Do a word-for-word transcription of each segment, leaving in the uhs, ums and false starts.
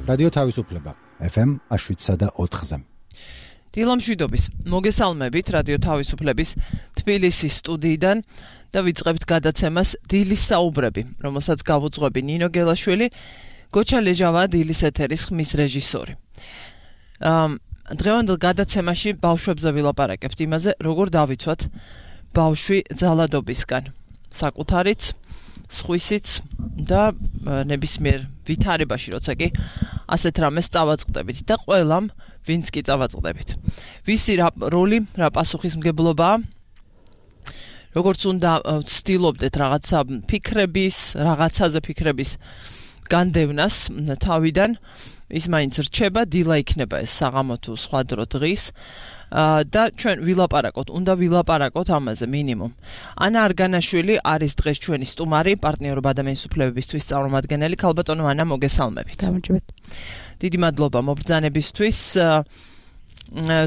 რადიო თავისუფლება ეფ ემ შვიდსა და ოთხზე. დილამშვიდობის მოგესალმებით რადიო თავისუფლების თბილისის სტუდიიდან და ვიწყებთ გადაცემას დილის საუბრები, რომელსაც გავუძღვები ნინო გელაშვილი, გოჩა ლეჟავა დილის ეთერის ხმის რეჟისორი. დღევანდელ გადაცემაში ბავშვებზე ვილაპარაკებთ იმაზე, როგორ დავიცვათ ბავშვი ძალადობისგან, საკუთარიც, სხვისიც და ნებისმიერ ვითარებაში, როცა კი ასეთ რამეს წავაწყდებით და ყველამ, ვინც კი წავაწყდებით. ვისი რა როლი, რა პასუხისმგებლობაა, როგორც უნდა ვცდილობდეთ რაღაცა ფიქრების, რაღაცაზე ფიქრების განდევნას თავიდან, ის მაინც რჩება, დილა იქნება ეს საღამო თუ სხვა დრო დღის და ჩვენ ვილაპარაკოთ, უნდა ვილაპარაკოთ ამაზე მინიმუმ. ანა არგანაშვილი არის დღეს ჩვენი სტუმარი, პარტნიორობა ადამიანის უფლებებისთვის წარმომადგენელი. ქალბატონო ანა, მოგესალმებით. გამარჯობათ. დიდი მადლობა მობრძანებისთვის.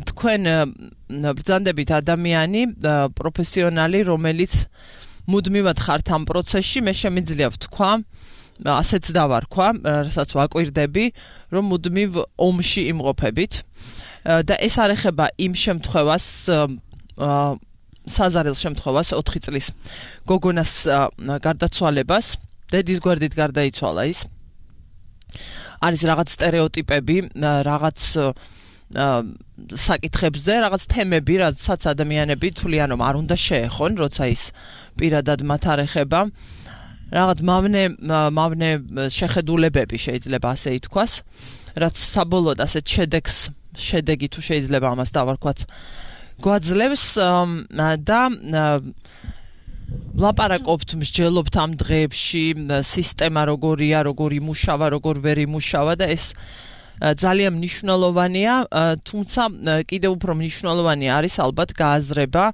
თქვენ ბრძანდებით ადამიანი, პროფესიონალი, რომელიც მუდმივად ხართ ამ პროცესში, მე შემიძლია ვთქვა, ასეც დავარქვა, რასაც ვაკვირდები, რომ მუდმივ ომში იმყოფებით. და ეს არ ეხება იმ შემთხვევას, საზარელ შემთხვევას, ოთხი წლის გოგონას გარდაცვალებას, დედის გვერდით გარდაიცვალა ის. არის რაღაც სტერეოტიპები, რაღაც საკითხებზე, რაღაც თემები, რაცაც ადამიანები თვლიან, რომ არ უნდა შეეხონ, როცა ის პირადად მათ არ ეხება. რაღაც მავნე მავნე შეხედულებები შეიძლება ასე ითქვას, რაც საბოლოოდ ასეთ შედეგს შედეგი თუ შეიძლება ამას დავარქვათ გვაძლევს და ლაპარაკობთ, მსჯელობთ ამ დღეებში სისტემა როგორია, როგორ იმუშავა, როგორ ვერ იმუშავა და ეს ძალიან მნიშვნელოვანია, თუმცა კიდევ უფრო მნიშვნელოვანი არის ალბათ გააზრება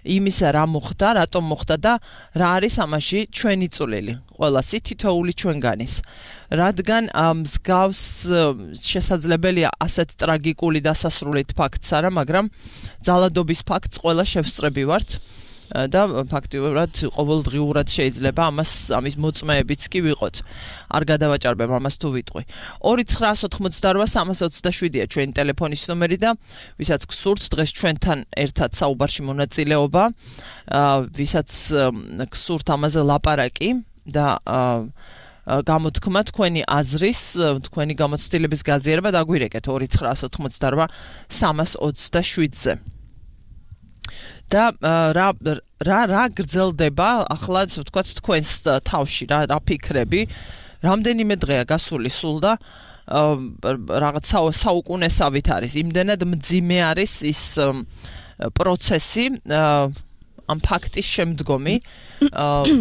იმისა, რა მოხდა, რატომ მოხდა და რა არის ამაში ჩვენი წვლილი, ყველასი თითოეული ჩვენგანის. რადგან მსგავს შესაძლებელია ასეთ ტრაგიკული დასასრულით ფაქტს არა, მაგრამ ძალადობის ფაქტს ყველა შევსწრები ვართ და ფაქტიურად ყოველდღიურად შეიძლება ამას ამის მოწმეებიც კი ვიყოთ. არ გადავაჭარბებ ამას თუ ვიტყვი. ორი ცხრაას ოთხმოცდარვა სამას ოცდაშვიდია ჩვენი ტელეფონის ნომერი და ვისაც გსურთ დღეს ჩვენთან ერთად საუბარში მონაწილეობა, ვისაც გსურთ ამაზე ლაპარაკი და გამოთქმა თქვენი აზრის, თქვენი გამოცდილების გაზიარება დაგვირეკეთ ორი ცხრაას ოთხმოცდარვა სამას ოცდაშვიდზე. და რა რა რა გრძელდება ახლა ასე ვთქვათ თქვენს თავში, რა რა ფიქრები, რამდენიმე დღეა გასული სულ და რაღაც საუკუნესავით არის, იმდენად მძიმე არის ის პროცესი, ამ ფაქტის შემდგომი,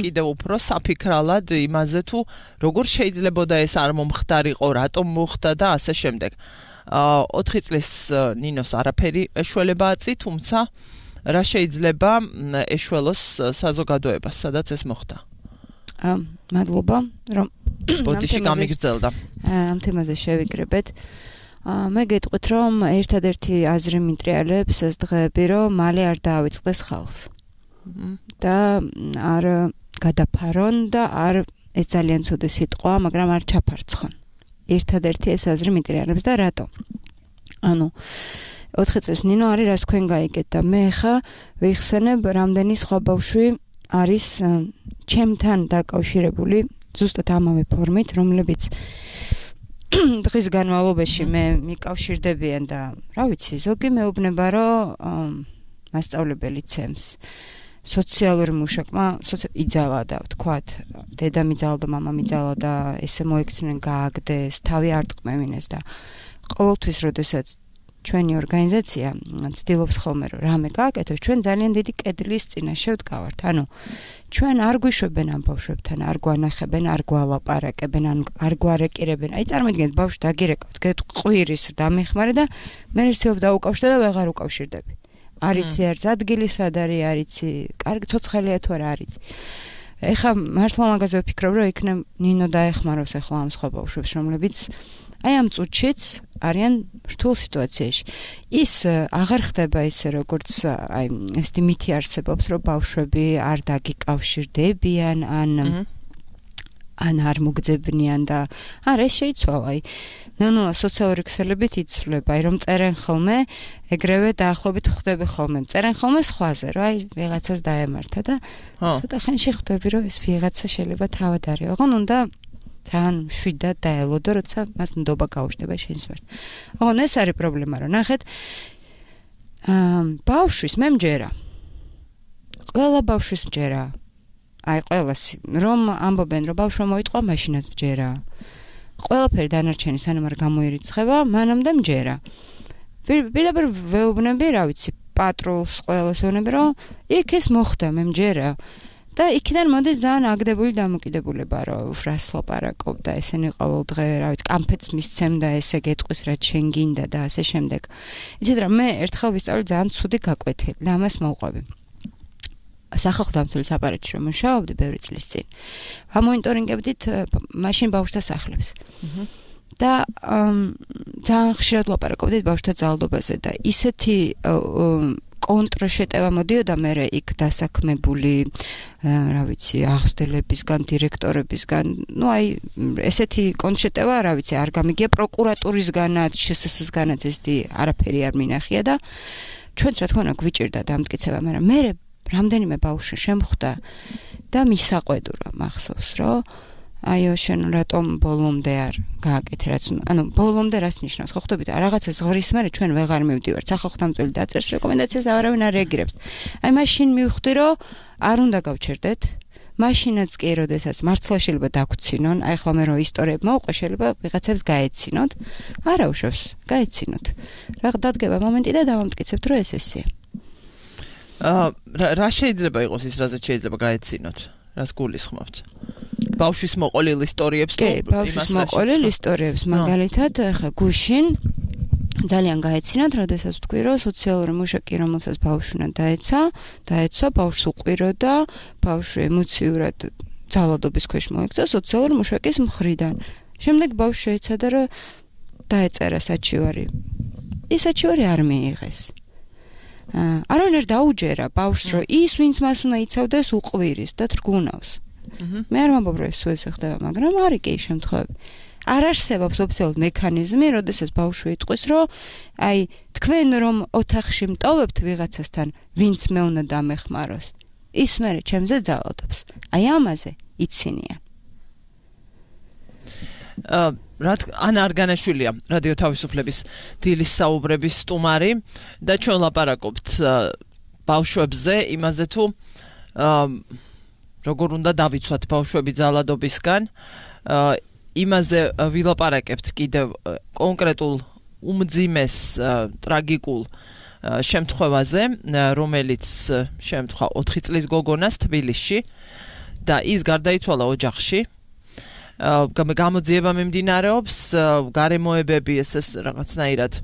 კიდევ უფრო საფიქრალად იმაზე თუ როგორ შეიძლებოდა ეს არ მომხდარიყო, რატომ მოხდა და ასე შემდეგ. ოთხი წლის ნინოს არაფერი ეშველება აწი, თუმცა რა შეიძლება ეშველოს საზოგადოებას, სადაც ეს მოხდა? მადლობა, რომ ბოდიში გამიგრძელდა. ამ თემაზე შევიკრებეთ. მე გეტყვით, რომ ერთადერთი აზრი მიტრიალებს ეს დღეები, რომ მალე არ დაავიწყდეს ხალხს. და არ გადაფარონ და არ ეს ძალიან ცუდი სიტყვა, მაგრამ არ ჩაფარცხონ. ერთადერთი ეს აზრი მიტრიალებს და რატო? ანუ ოთხი წლის ნინო არის, რაც თქვენ გაიგეთ და მე ხა ვიხსენებ, რამდენი სხვა ბავშვი არის ჩემთან დაკავშირებული ზუსტად ამავე ფორმით, რომლებიც დღის განმავლობაში მე მიკავშირდებიან და რა ვიცი, ზოგი მეუბნება, რომ მასწავლებელი ცემს. სოციალური მუშაკმა იძალა და ვთქვათ, დედა მიძალა და მამა მიძალა და ესე მოიქცნენ, გააგდეს, თავი არ ტყმევინეს და ყოველთვის, როდესაც ჩვენი ორგანიზაცია ცდილობს ხოლმე, რომ რამე გააკეთოს, ჩვენ ძალიან დიდი კედლის წინაშე ვდგავართ. ანუ ჩვენ არ გვიშვებენ ამ ბავშვებთან, არ გვანახებენ, არ გვალაპარაკებენ, არ გვარეკირებენ. აი წარმოიდგინეთ, ბავშვი დაგირეკავთ, გეტყვირის დამეხმარე და მე რისეობ დაუკავშირდა და ვეღარ უკავშირდები. არიცი არც ადგილი სად არის, არიცი, კარგი ცოცხალია თუ არა არიცი. ეხლა მართლა მაგაზე ვფიქრობ, რომ იქნებ ნინო დაეხმაროს ახლა ამ სხვა ბავშვებს, რომლებიც აი ამ წუთშიც არიან რთულ სიტუაციაში. ის აღარ ხდება ისე, როგორც აი ესეთი მითი არსებობს, რომ ბავშვები არ დაგიკავშირდებიან, ან ან არ მოგძებნიან და არა ეს შეიცვალა. აი ნანოა სოციალური ქსელებით იცვლება, აი რომ წერენ ხოლმე, ეგრევე დაახლოებით ხვდები ხოლმე. წერენ ხოლმე სხვაზე, რომ აი ვიღაცას დაემართა და ცოტა ხანში ხვდები, რომ ეს ვიღაცა შეიძლება თავად არის. ოღონ უნდა თან შვიდად დაელოდო, როცა მას ნდობა გაუჩნდება შენს მიმართ. ოღონ ეს არის პრობლემა, რომ ნახეთ აა ბავშვის მე მჯერა. ყველა ბავშვის მჯერა. აი ყველას რომ ამბობენ რომ ბავშვმა მოიტყვა მაშინაც მჯერა. ყველაფერი დანარჩენი სანამ არ გამოირიცხება, მანამდე მჯერა. პირდაპირ ვეუბნები, რა ვიცი, პატრულს ყველას ვეუბნები, რომ იქ ეს მოხდა, მე მჯერა. და იქიდან მოდის ძალიან აგდებული დამოკიდებულება, რომ რას ლაპარაკობდა, ესენი ყოველ დღე, რა ვიცი, კამფეტს მისცემდა, ესე გეტყვის, რაც შენ გინდა და ასე შემდეგ. იცით რა, მე ერთხელ ვისწავლე ძალიან ცუდი გაკვეთილი, და ამას მოვყვები. სახალხო-დამცველის აპარატში რომ მუშაობდი ბევრი წლის წინ. ვამონიტორინგებდით მაშინ ბავშვთა სახლებს. და ძალიან ხშირად ვლაპარაკობდით ბავშვთა ძალადობაზე და ისეთი კონტრშეტევა მოდიოდა მერე იქ დასაქმებული, რა ვიცი, აღზრდებისგან, დირექტორებისგან, ну აი ესეთი კონტრშეტევა, რა ვიცი, არ გამიგია პროკურატურისგანაც, შსს-განაც ესეთი არაფერი არ მინახია და ჩვენც რა თქმა უნდა გვიჭირდა დამტკიცება, მაგრამ მერე რამდენიმე ბავშვი შემხვდა და მისაყვედურა მახსოვს, რომ აიო შენ რატომ ბოლომდე არ გააკეთე რაც ანუ ბოლომდე რას ნიშნავს ხო ხვდებით რაღაცა ზღრის მერე ჩვენ ვეღარ მივდივართ სახალხო-დამცველი დაწერს რეკომენდაციას არავინ არ რეაგირებს აი მაშინ მივხვდი რომ არ უნდა გავჩერდეთ მაშინაც კი როდესაც მართლა შეიძლება დაგვრცინონ აი ხლა მე რო ისტორიები მოვყვე შეიძლება ვიღაცებს გაეცინოთ არა უშავს გაეცინოთ რა დადგება მომენტი და დავამტკიცებთ რომ ეს ესეა აა რა შეიძლება იყოს ის რაზეც შეიძლება გაეცინოთ რას გულისხმობთ ბავშვის მოყოლილ ისტორიებს თუ ბავშვის მოყოლილ ისტორიებს მაგალითად ხა გუშინ ძალიან გაეცინათ როდესაც თქვი რომ სოციალური მუშაკი რომელსაც ბავშვნა დაეცა დაეცვა ბავშვს უყვიროდა ბავშვი ემოციურად ძალადობის ქვეშ მოექცა სოციალური მუშაკის მხრიდან შემდეგ ბავშვი შეეცადა რომ დაეწერა საჩივარი ის საჩივარი არ მიიღეს არავინ არ დაუჯერა ბავშვს რომ ის ვინც მას უნდა იცავდეს უყვირის და თრგუნავს მე არ ვამბობ რომ ეს უესე ხდება მაგრამ არის კი შემთხვევები არ არსებობს ოფიციალური მექანიზმი როდესაც ბავშვი იტყვის რომ აი თქვენ რომ ოთახში მტოვებთ ვიღაცასთან ვინც მე უნდა დამეხმაროს ის მერე ჩემზე ძალადობს აი ამაზე იცინიან აა რა ანა არგანაშვილია რადიო თავისუფლების დილის საუბრების სტუმარი და ჩვენ ლაპარაკობთ ბავშვებზე იმაზე თუ როგორ უნდა დავიცვათ ბავშვები ძალადობისგან იმაზე ვილაპარაკებთ კიდევ კონკრეტულ უმძიმეს ტრაგიკულ შემთხვევაზე რომელიც შემთხვევა ოთხი წლის გოგონას თბილისში და ის გარდაიცვალა ოჯახში გამოძიება მიმდინარეობს გარემოებები ეს რაღაცნაირად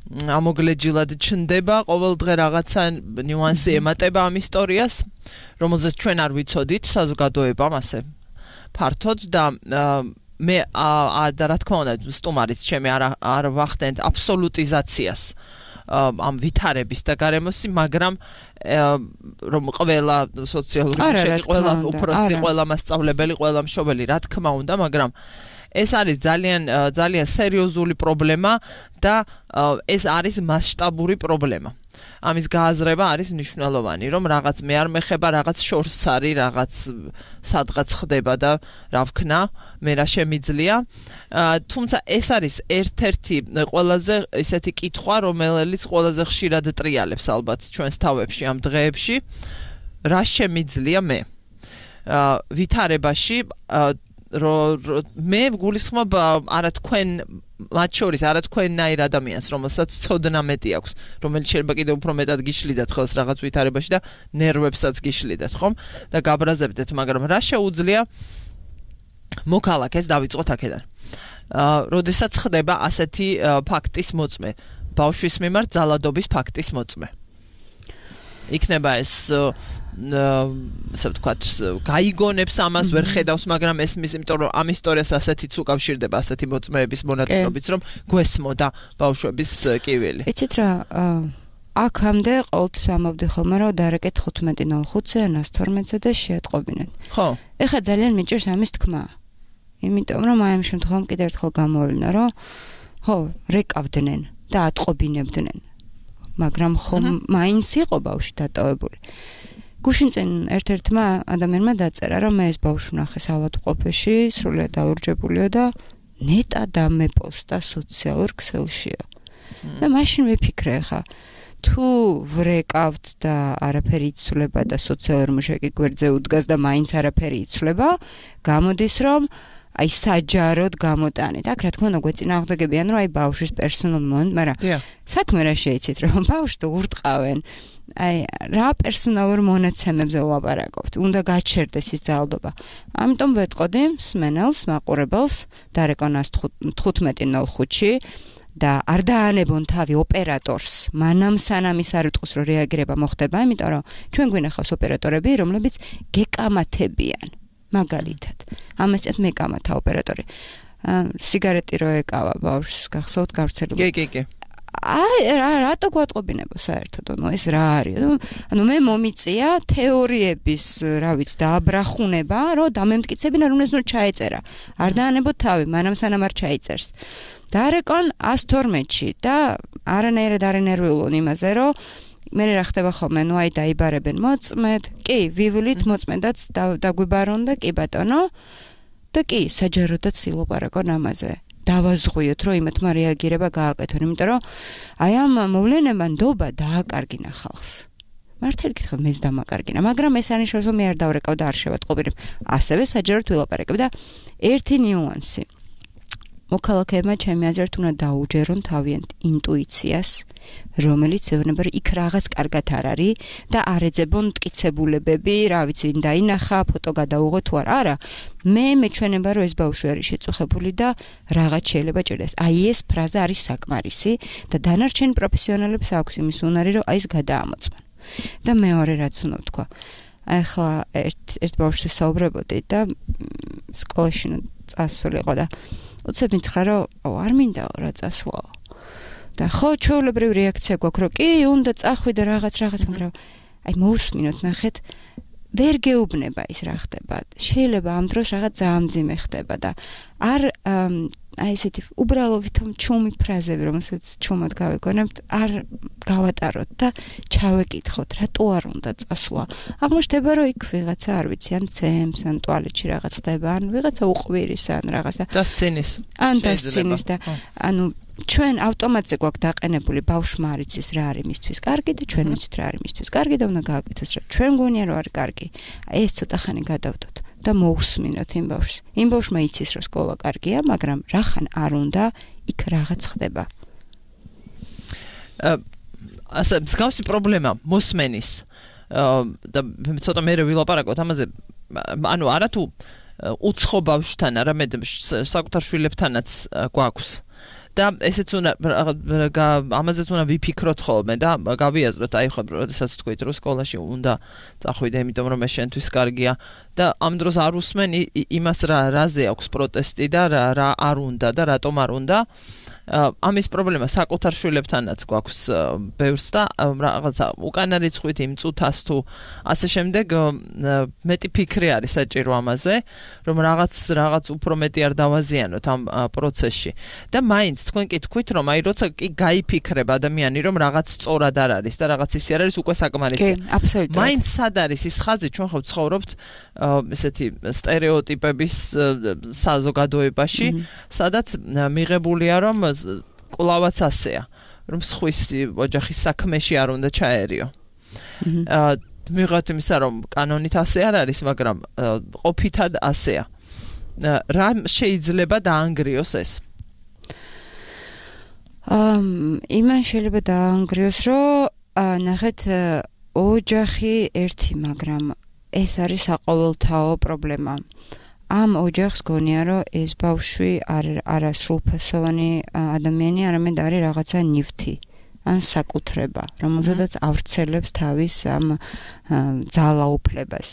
ამოგლეჯილად ჩნდება ყოველ დღე რაღაცა ნიუანსი ემატება ამ ისტორიას რომელზეც ჩვენ არ ვიცოდით საზოგადოებამ ასე ფართოდ და მე და რა თქმა უნდა სტუმარიც ჩემი არ არ ვახდენთ აბსოლუტიზაციას ამ ვითარების და გარემოსი მაგრამ რომ ყველა სოციალური მუშაკი ყველა უფროსი ყველა მასწავლებელი ყველა მშობელი რა თქმა უნდა მაგრამ ეს არის ძალიან ძალიან სერიოზული პრობლემა და ეს არის მასშტაბური პრობლემა. ამის გააზრება არის მნიშვნელოვანი, რომ რაღაც მე არ მეხება, რაღაც შორს არის, რაღაც სადღაც ხდება და რა ვქნა, მე რა შემიძლია. თუმცა ეს არის ერთ-ერთი ყველაზე ისეთი კითხვა, რომელიც ყველაზე ხშირად ტრიალებს ალბათ ჩვენს თავებში ამ დღეებში, რა შემიძლია მე. ვითარებაში რო მე გულისხმობ არა თქვენ მათ შორის არა თქვენნაირ ადამიანს რომელსაც ცოდნა მეტი აქვს რომელიც შეიძლება კიდევ უფრო მეტად გიშლიდათ ხელს რაღაც ვითარებაში და ნერვებსაც გიშლიდათ ხომ და გაბრაზებდეთ მაგრამ რა შეუძლია მოქალაქეს დავიწყოთ აქედან აა როდესაც ხდება ასეთი ფაქტის მოწმე ბავშვის მიმართ ძალადობის ფაქტის მოწმე იქნება ეს ასე ვთქვათ, გაიგონებს ამას ვერ ხედავს, მაგრამ ესმის, იმიტომ რომ ამ ისტორიას ასეთიც უკავშირდება, ასეთი მოწმეების მონაწილეობით, რომ გვესმოდა ბავშვების კივილი. იცით რა, აქამდე ყოველთვის ამბობდი ხოლმე, რომ დარეკეთ ხუთმეტი ნოლ ხუთზე ან ას თორმეტზე და შეატყობინეთ. ხო. ეხლა ძალიან მიჭირს ამის თქმა. იმიტომ რომ აი ამ შემთხვევამ კიდევ ერთხელ გამოვინა, რომ ხო, რეკავდნენ და ატყობინებდნენ. მაგრამ ხომ მაინც იყო ბავშვი დატოვებული. გუშინ წინ ერთ-ერთმა ადამიანმა დაწერა, რომ მე ეს ბავშვი ვნახე ავადმყოფოში, სრულიად დაურჯებულიო და ნეტა დამეპოსტა სოციალურ ქსელშიო. და მაშინ ვიფიქრე ხა, თუ ვრეკავთ და არაფერი იცვლება და სოციალურ მუშაკი გვერდზე უდგას და მაინც არაფერი იცვლება, გამოდის რომ აი საჯაროდ გამოტანით. აქ რა თქმა უნდა გვეწინააღმდეგებიან, რომ აი ბავშვის პერსონალ მომენტ, მაგრამ საქმე რა შეიცით, რომ ბავშვს ურტყავენ. აი რა პერსონალურ მონაცემებზე ვლაპარაკობთ, უნდა გაჩერდეს ის ძალადობა. ამიტომ ვეტყოდი მსმენელს, მაყურებელს დარეკონას თხუთმეტი ნოლ ხუთში და არ დაანებონ თავი ოპერატორს, მანამ სანამ ის არ იტყვის, რომ რეაგირება მოხდება, იმიტომ რომ ჩვენ გვინახავს ოპერატორები, რომლებიც გეკამათებიან. მაგალითად, ამას წეთ მეკამათა ოპერატორი. სიგარეტი რო ეკავა ბავშვს, გახსოვთ გავრცელებული. კი, კი, კი. აი რა რატო გვატყობინებო საერთოდ, ნუ ეს რა არის? ანუ მე მომიწია თეორიების, რა ვიცი, დააბრახუნება, რომ დამემტკიცებინა რომ ეს ნუ ჩაეწერა. არ დაანებოთ თავი, მანამ სანამ არ ჩაიწერს. დარეკონ ას თორმეტში და არანაირად არ ენერვიულონ იმაზე, რომ მე რა ხდება ხოლმე, ნუ აი დაიბარებენ მოწმედ, კი, ვივლით მოწმედაც დაგვიბარონ და კი ბატონო და კი, საჯაროდაც ილაპარაკონ ამაზე. დავაზღვიოთ, რომ იმათმა რეაგირება გააკეთონ, იმიტომ რომ აი ამ მოვლენებმა ნდობა დააკარგინა ხალხს. მართალი გითხრათ, მეც დამაკარგინა, მაგრამ ეს არნიშნავს, რომ მე არ დავრეკავ და არ შევატყობინებ. ასევე საჯაროდ ვილაპარაკებ და ერთი ნიუანსი. მოქალაქეებმა ჩემი აზრით უნდა დაუჯერონ თავიანთ ინტუიციას, რომელიც ეუბნება, რომ იქ რაღაც კარგად არ არის და არ ეძებონ მტკიცებულებები, რა ვიცი, დაინახა, ფოტო გადაუღო თუ არა. არა, მე მეჩვენება, რომ ეს ბავშვი არის შეწუხებული და რაღაც შეიძლება ჭირდეს. აი ეს ფრაზა არის საკმარისი და დანარჩენ პროფესიონალებს აქვს იმის უნარი, რომ აი ეს გადაამოწმონ. და მეორე რაც უნდა ვთქვა. აი ხლა ერთ ერთ ბავშვს საუბრობდი და სკოლაში წასულიყო და უცებ მითხრა, რომ არ მინდა რა წასვლაო. და ხო, ჩვეულებრივი რეაქცია გვაქვს, რომ კი, უნდა წახვიდე რაღაც რაღაც, მაგრამ აი მოусმინოთ, ნახეთ, ვერ გეუბნება ის რა ხდება. შეიძლება ამ დროს რაღაც ძაამძიმე ხდება და არ აი ესეთი უბრალო ვითომ ჩუმი ფრაზები, რომელსაც ჩუმად გავეგონებთ, არ გავატაროთ და ჩავეკითხოთ, რატო არ უნდა წასვლა. აღმოჩნდება, რომ იქ ვიღაცა არ ვიცი, ან ცემს, ან ტუალეტში რაღაც ხდება, ან ვიღაცა უყვირის, ან რაღაცა დასცინის. ან დასცინის და ანუ ჩვენ ავტომატზე გვაქვს დაყენებული ბავშვმა არ იცის რა არის მისთვის კარგი და ჩვენ ვიცით რა არის მისთვის კარგი და უნდა გააკეთოს რა. ჩვენ გვონია რომ არის კარგი. აი ეს ცოტა ხანი გადავდოთ და მოусმინოთ იმ ბავშვს. იმ ბავშვმა იცის რომ სკოლა კარგია, მაგრამ რახან არ უნდა იქ რაღაც ხდება. ასე მსგავსი პრობლემა მოსმენის და ცოტა მე ვილაპარაკოთ ამაზე, ანუ არა თუ უცხო ბავშვთან, არამედ საკუთარ შვილებთანაც გვაქვს. და ესეც უნდა ამაზეც უნდა ვიფიქროთ ხოლმე და გავიაზროთ, აი ხო, როდესაც თქვით, რომ სკოლაში უნდა წახვიდე, იმიტომ რომ ეს შენთვის კარგია და ამ დროს არ უსმენ იმას რა რაზე აქვს პროტესტი და რა არ უნდა და რატომ არ უნდა. ამის პრობლემა საკუთარ შვილებთანაც გვაქვს ბევრს და რაღაცა უკანა რიცხვით იმ წუთას თუ ასე შემდეგ მეტი ფიქრი არის საჭირო ამაზე, რომ რაღაც რაღაც უფრო მეტი არ დავაზიანოთ ამ პროცესში. და მაინც თქვენ კი თქვით, რომ აი როცა კი გაიფიქრება ადამიანი, რომ რაღაც სწორად არ არის და რაღაც ისე არ არის, უკვე საკმარისია. კი, აბსოლუტურად. მაინც სად არის ის ხაზი, ჩვენ ხო ცხოვრობთ ესეთი სტერეოტიპების საზოგადოებაში, სადაც მიღებულია, რომ კვლავაც ასეა, რომ სხვის ოჯახის საქმეში არ უნდა ჩაერიო. მიღოთ იმისა, რომ კანონით ასე არ არის, მაგრამ ყოფითად ასეა. რა შეიძლება დაანგრიოს ეს? იმან შეიძლება დაანგრიოს, რომ ნახეთ, ოჯახი ერთი, მაგრამ ეს არის საყოველთაო პრობლემა. ამ ოჯახს გონია, რომ ეს ბავშვი არ არა სრულფასოვანი ადამიანი, არამედ არის რაღაცა ნივთი, ან საკუთრება, რომელზედაც ავრცელებს თავის ამ ძალაუფლებას.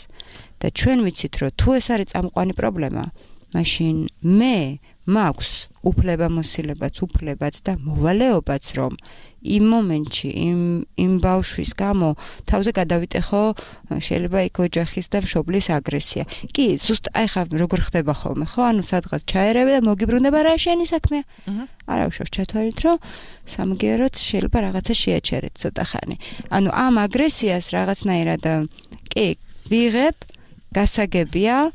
და ჩვენ ვიცით, რომ თუ ეს არის წამყვანი პრობლემა, მაშინ მე მაქვს უფლებამოსილებაც, უფლებაც და მოვალეობაც, რომ იმ მომენტში, იმ იმ ბავშვის გამო თავზე გადავიტეხო შეიძლება იქ ოჯახის და მშობლის აგრესია. კი, ზუსტ აი ხა როგორ ხდება ხოლმე, ხო? ანუ სადღაც ჩაერევე და მოგიბრუნება რა შენი საქმეა. არა უშავს ჩათვალეთ, რომ სამგეროთ შეიძლება რაღაცა შეაჩერეთ ცოტა ხანი. ანუ ამ აგრესიას რაღაცნაირად კი, ვიღებ, გასაგებია,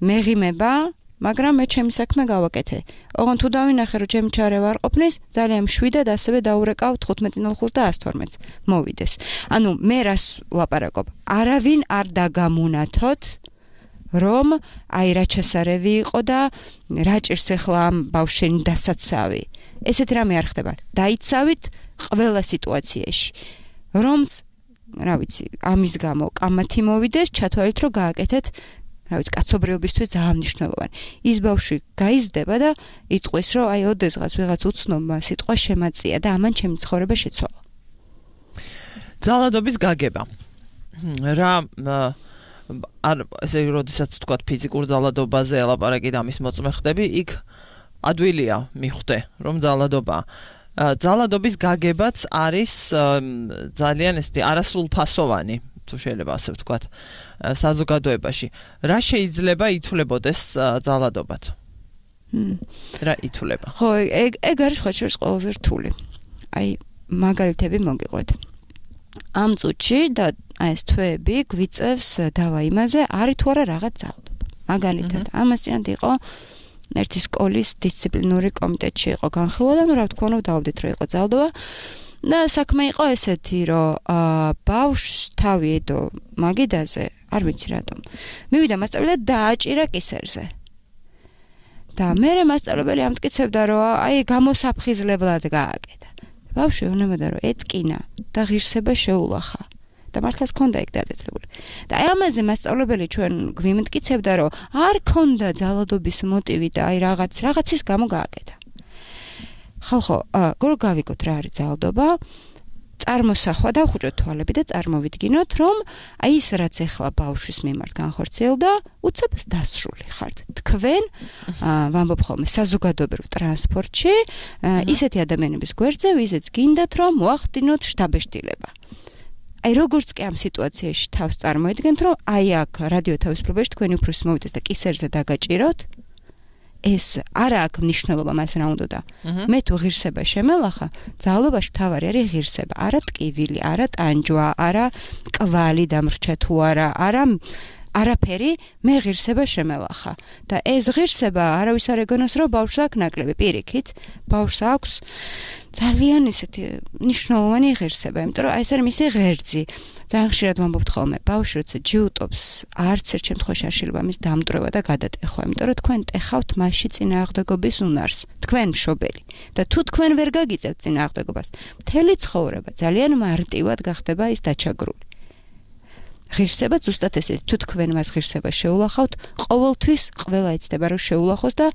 მეღიმება მაგრამ მე ჩემი საქმე გავაკეთე. ოღონდ თუ დავინახე რომ ჩემი ჩარევა არ ყოფნის, ძალიან მშვიდად ასევე დაურეკავ თხუთმეტი ნული ხუთი და ასი თორმეტს მოვიდეს. ანუ მე რას ვლაპარაკობ? არავინ არ დაგამუნათოთ, რომ აი რა ჩასარევი იყო და რა ჭირს ახლა ამ ბავშვენ დასაცავი. ესეთ რამე არ ხდება. დაიცავით ყველა სიტუაციაში. რომც, რა ვიცი, ამის გამო კამათი მოვიდეს, ჩათვალეთ რომ გააკეთეთ რა ვიცი, კაცობრიობისთვის ძალიან მნიშვნელოვანი. ის ბავშვი გაიზრდება და იტყვის, რომ აი ოდესღაც ვიღაც უცნობმა სიტყვა შემაწია და ამან ჩემი ცხოვრება შეცვალა. ძალადობის გაგება. რა არ ესე როდესაც თქვა ფიზიკურ ძალადობაზე ელაპარაკი და ამის მოწმე ხდები, იქ ადვილია მიხვდე, რომ ძალადობა. ძალადობის გაგებაც არის ძალიან ესეთი არასრულფასოვანი. თუ შეიძლება ასე ვთქვათ, საზოგადოებაში. რა შეიძლება ითვლებოდეს ძალადობად? რა ითვლება? ხო, ეგ ეგ არის ხო შეიძლება ყველაზე რთული. აი, მაგალითები მოგიყვეთ. ამ წუთში და აი ეს თვეები გვიწევს დავა იმაზე, არის თუ არა რაღაც ძალადობა. მაგალითად, ამასიანად იყო ერთი სკოლის დისციპლინური კომიტეტში იყო განხილვა და ნუ რა თქმა უნდა დავდით რომ იყო ძალადობა. და საქმე იყო ესეთი, რომ ბავშვს თავი ედო მაგიდაზე, არ ვიცი რატომ. მივიდა მასწავლებელი და დააჭირა კისერზე. და მერე მასწავლებელი ამტკიცებდა, რომ აი გამოსაფხიზლებლად გააკეთა. ბავშვი უნებოდა რომ ეტკინა და ღირსება შეულახა. და მართლაც ქონდა ეგ დადეთლებული. და აი ამაზე მასწავლებელი ჩვენ გვიმტკიცებდა, რომ არ ქონდა ძალადობის მოტივი და აი რაღაც რაღაცის გამო გააკეთა. ხალხო, გორ გავიგოთ რა არის ძალადობა, წარმოსახვა და ხუჭოთ თვალები და წარმოვიდგინოთ, რომ აი ის რაც ეხლა ბავშვის მიმართ განხორციელდა, უცებ დასრული ხართ. თქვენ, ვამბობ ხოლმე, საზოგადოებრივ ტრანსპორტში, ისეთი ადამიანების გვერდზე, ვიზეც გინდათ, რომ მოახდინოთ შთაბეჭდილება. აი როგორც კი ამ სიტუაციაში თავს წარმოიდგენთ, რომ აი აქ რადიო თავისუფლებაში თქვენი უფროსი მოვიდეს და კისერზე დაგაჭიროთ, ეს არა აქვს მნიშვნელობა მას რა უნდა და მე თუ ღირსება შემელახა, ძალადობაში თავარი არის ღირსება, არა ტკივილი, არა ტანჯვა, არა კვალი დამრჩა თუ არა, არა არაფერი, მე ღირსება შემელახა. და ეს ღირსება არავის არ ეგონოს, რომ ბავშვს აქვს ნაკლები პირიქით, ბავშვს აქვს ძალიან ისეთი მნიშვნელოვანი ღირსება, იმიტომ რომ აი ეს არის მისი ღერძი. ძალიან ხშირად ვამბობთ ხოლმე, ბავშვი როცა ჯიუტობს, არც ერთ შემთხვევაში არ შეიძლება მის დამტვრევა და გადატეხვა, იმიტომ რომ თქვენ ტეხავთ მასში წინააღმდეგობის უნარს, თქვენ მშობელი. და თუ თქვენ ვერ გაგიწევთ წინააღმდეგობას, მთელი ცხოვრება ძალიან მარტივად გახდება ის დაჩაგრული. ღირსება ზუსტად ესეთი, თუ თქვენ მას ღირსება შეულახავთ, ყოველთვის ყველა იცდება რომ შეულახოს და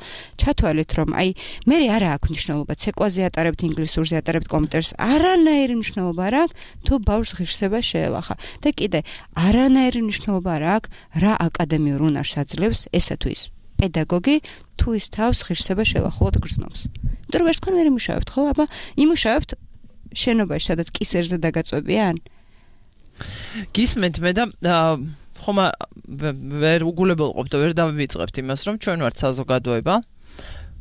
ჩათვალეთ რომ აი მე არა აქვს მნიშვნელობა ცეკვაზე ატარებთ ინგლისურზე ატარებთ კომპიუტერს, არანაირი მნიშვნელობა არ აქვს თუ ბავშვს ღირსება შეელახა. და კიდე არანაირი მნიშვნელობა არ აქვს რა აკადემიურ უნარს აძლევს ესა თუ ის პედაგოგი თუ ის თავს ღირსება შეელახულად გრძნობს. იმიტომ რომ ვერც თქვენ ვერ იმუშავებთ, ხო? აბა იმუშავებთ შენობაში, სადაც კისერზე დაგაწვევიან. გისმენთ მე და ხომ ვერ უგულებელყოფ და ვერ დავიწყებთ იმას, რომ ჩვენ ვართ საზოგადოება.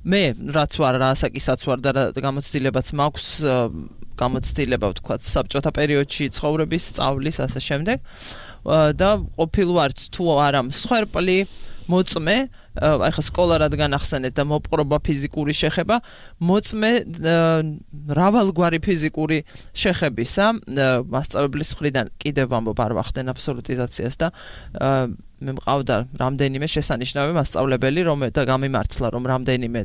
მე რაც ვარ, რა ასაკისაც ვარ და გამოცდილებაც მაქვს, გამოცდილება ვთქვათ, საბჭოთა პერიოდში ცხოვრების, სწავლის, ასე შემდეგ. და ყოფილ ვართ თუ არა მსხვერპლი, მოწმე, აი ხა სკოლა რადგან ახსენეთ და მოპყრობა ფიზიკური შეხება, მოწმე მრავალგვარი ფიზიკური შეხებისა, მასწავლებლის მხრიდან კიდევ ვამბობ არ ვახდენ აბსოლუტიზაციას და მე მყავდა რამდენიმე შესანიშნავი მასწავლებელი, რომ და გამიმართლა, რომ რამდენიმე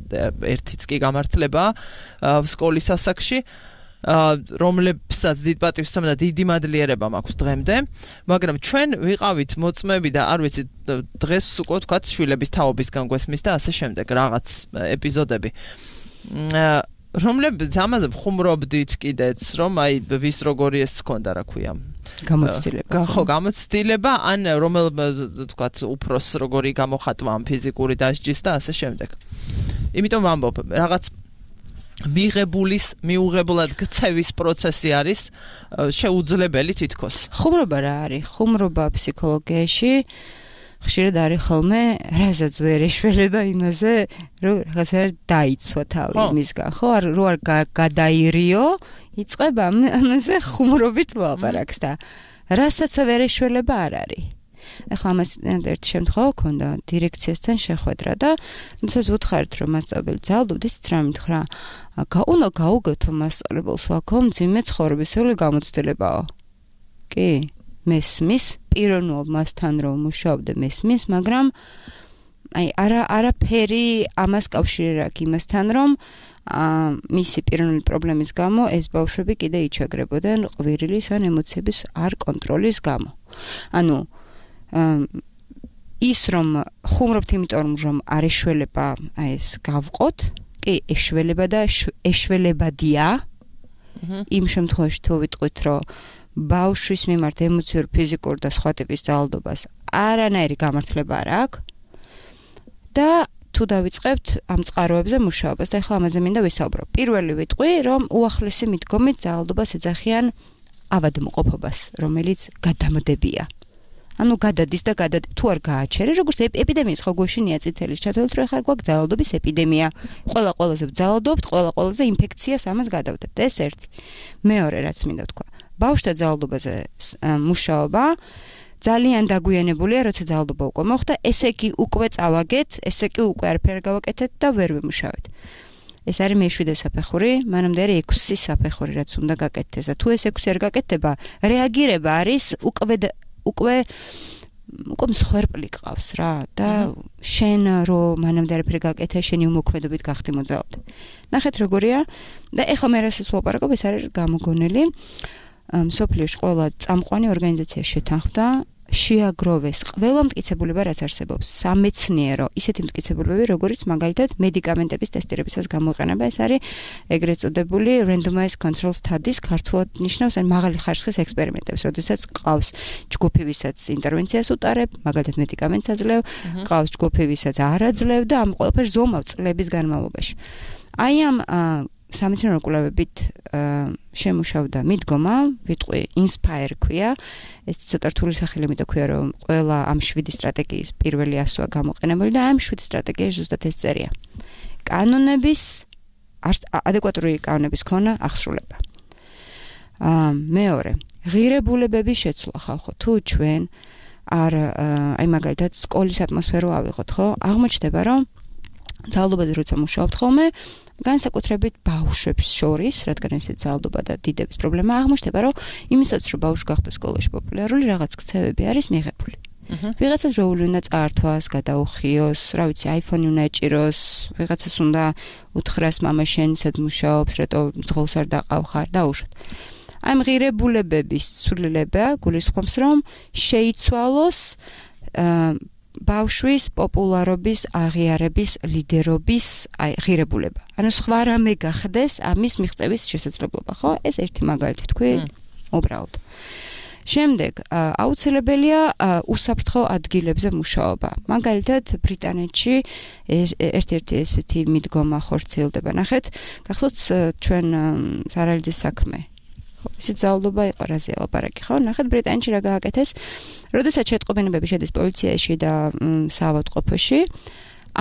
ერთიც კი გამართლება სკოლის ასაკში, რომლებსაც დიდ პატივს ვცემ და დიდი მადლიერება მაქვს დღემდე, მაგრამ ჩვენ ვიყავით მოწმები და არ ვიცი დღეს უკვე ვთქვათ შვილების თაობისგან გვესმის და ასე შემდეგ რაღაც ეპიზოდები. რომლებიც ამაზე ვხუმრობდით კიდეც, რომ აი ვის როგორი ეს ჰქონდა, რა ქვია, გამოცდილება. ხო, გამოცდილება, ან რომელ თქვათ უფროს როგორი გამოხატვა ამ ფიზიკური დასჯის და ასე შემდეგ. იმიტომ ვამბობ, რაღაც მიღებულის მიუღებლად გცევის პროცესი არის შეუძლებელი თითქოს. ხუმრობა რა არის? ხუმრობა ფსიქოლოგიაში ხშირად არის ხოლმე რაზეც ვერ ეშველება იმაზე, რომ რაღაცა დაიცვა თავი იმისგან, ხო? რო არ გადაირიო, იწყება ამაზე ხუმრობით ლაპარაკს და რასაც ვერ ეშველება არ არის. ახლა ამას ერთი შემთხვევა ქონდა დირექციასთან შეხვედრა და როდესაც ვუთხარით რომ მასწავლებელი ძალდობდეს რა მითხრა უნდა გაუგეთო მასწავლებელს აქ მძიმე ცხოვრებისეული გამოცდილებაა. კი, მესმის პიროვნულ მასთან რომ მუშაობდე მესმის, მაგრამ აი არა არაფერი ამას კავშირი არ აქვს იმასთან რომ მისი პიროვნული პრობლემის გამო ეს ბავშვები კიდე იჩაგრებოდნენ ყვირილის ან ემოციების არ კონტროლის გამო. ანუ ის რომ ხუმრობთ იმიტომ რომ არ ეშველება აი ეს გავყოთ, კი ეშველება და ეშველებადია. იმ შემთხვევაში თუ ვიტყვით რომ ბავშვის მიმართ ემოციურ, ფიზიკურ და სხვა ტიპის ძალადობას არანაირი გამართლება არ აქვს და თუ დავიწყებთ ამ წყაროებზე მუშაობას და ახლა ამაზე მინდა ვისაუბრო. პირველი ვიტყვი რომ უახლესი მიდგომით ძალადობას ეძახიან ავადმყოფობას, რომელიც გადამდებია. ანუ გადადის და გადად თუ არ გააჩერე, როგორც ეპიდემიის ხო გვეშინია წითელი ჩათვალეთ, რომ ახლა გვაქვს ძალადობის ეპიდემია. ყველა ყველაზე ვძალადობთ, ყველა ყველაზე ინფექციას ამას გადავდებთ. ეს ერთი. მეორე რაც მინდა თქვა. ბავშვთა ძალადობაზე მუშაობა ძალიან დაგვიანებულია, როცა ძალადობა უკვე მოხდა, ესე იგი უკვე წავაგეთ, ესე იგი უკვე არაფერ გავაკეთეთ და ვერ ვიმუშავეთ. ეს არის მეშვიდე საფეხური, მანამდე არის ექვსი საფეხური, რაც უნდა გაკეთდეს და თუ ეს ექვსი არ გაკეთდება, რეაგირება არის უკვე უკვე უკვე მსხვერპლი ყავს რა და შენ რო მანამდე არაფერი გაკეთე, შენი უმოქმედობით გახდი მოძალადე. ნახეთ როგორია და ეხლა მე რასაც ვაპარაკობ, ეს არის გამოგონილი. მსოფლიოში ყველა წამყვანი ორგანიზაცია შეთანხმდა შეაგროვეს ყველა მტკიცებულება რაც არსებობს სამეცნიერო ისეთი მტკიცებულებები როგორიც მაგალითად მედიკამენტების ტესტირებისას გამოიყენება ეს არის ეგრეთ წოდებული randomized control studies ქართულად ნიშნავს ან მაღალი ხარისხის ექსპერიმენტებს როდესაც ყავს ჯგუფი ვისაც ინტერვენციას უტარებ მაგალითად მედიკამენტს აძლევ ყავს ჯგუფი ვისაც არ აძლევ და ამ ყველაფერს ზომავ წლების განმავლობაში აი ამ სამეცნიერო კვლევებით შემუშავდა მიდგომა, ვიტყვი inspire ქვია, ეს ცოტა რთული სახელი მითო ქვია, რომ ყველა ამ შვიდი სტრატეგიის პირველი ასოა გამოყენებული და ამ შვიდი სტრატეგიაში ზუსტად ეს წერია. კანონების ადეკვატური კანონების ქონა აღსრულება. მეორე, ღირებულებების შეცვლა ხალხო, თუ ჩვენ არ აი მაგალითად სკოლის ატმოსფერო ავიღოთ, ხო? აღმოჩნდება, რომ ძალადობაზე როცა მუშაობთ ხოლმე განსაკუთრებით ბავშვებს შორის, რადგან ესეც ძალადობა და დიდების პრობლემა აღმოჩნდება, რომ იმისაც რომ ბავშვი გახდეს სკოლაში პოპულარული, რაღაც ქცევები არის მიღებული. ვიღაცას როული უნდა წაართვას, გადაუხიოს, რა ვიცი, iPhone-ი უნდა ეჭიროს, ვიღაცას უნდა უთხრას მამა შენ სად მუშაობს, რატო ძღოლს არ დაყავხარ და უშოთ. აი ღირებულებების ცვლილება გულისხმობს, რომ შეიცვალოს ბავშვის პოპულარობის აღიარების ლიდერობის აი ღირებულება. ანუ სხვა რამე გახდეს ამის მიღწევის შესაძლებლობა, ხო? ეს ერთი მაგალითი თქვი, უბრალოდ. შემდეგ აუცილებელია უსაფრთხო ადგილებზე მუშაობა. მაგალითად ბრიტანეთში ერთ-ერთი ესეთი მიდგომა ხორციელდება. ნახეთ, გახსოვთ ჩვენ სარალიძის საქმე. ისიც ძალადობა იყო რაზე ლაპარაკი, ხო? ნახეთ ბრიტანეთში რა გააკეთეს. როდესაც შეტყობინებები შედის პოლიციაში და საავადმყოფოში,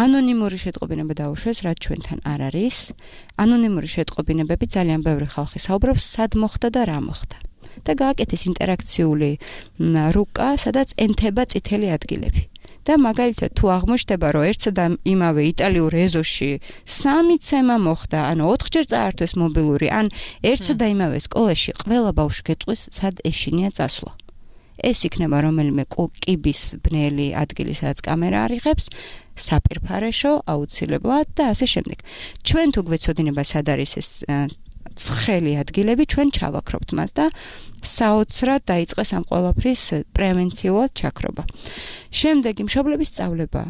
ანონიმური შეტყობინება დაუშვეს, რაც ჩვენთან არ არის. ანონიმური შეტყობინებები ძალიან ბევრი ხალხი საუბრობს, სად მოხდა და რა მოხდა. და გააკეთეს ინტერაქციული რუკა, სადაც ენთება წითელი ადგილები. და მაგალითად თუ აღმოჩნდება, რომ ერთსა და იმავე იტალიურ ეზოში სამი ცემა მოხდა, ანუ ოთხჯერ წაართვეს მობილური, ან ერთსა და იმავე სკოლაში ყველა ბავშვი გეტყვის, სად ეშინია წასვლა. ეს იქნება რომელიმე კიბის ბნელი ადგილი, სადაც კამერა არიღებს, საპირფარეშო, აუცილებლად და ასე შემდეგ. ჩვენ თუ გვეცოდინება, სად არის ეს ცხელი ადგილები, ჩვენ ჩავაქრობთ მას და საოცრად დაიწყეს ამ ყველაფრის პრევენციულად ჩაქრობა. შემდეგი მშობლების სწავლება.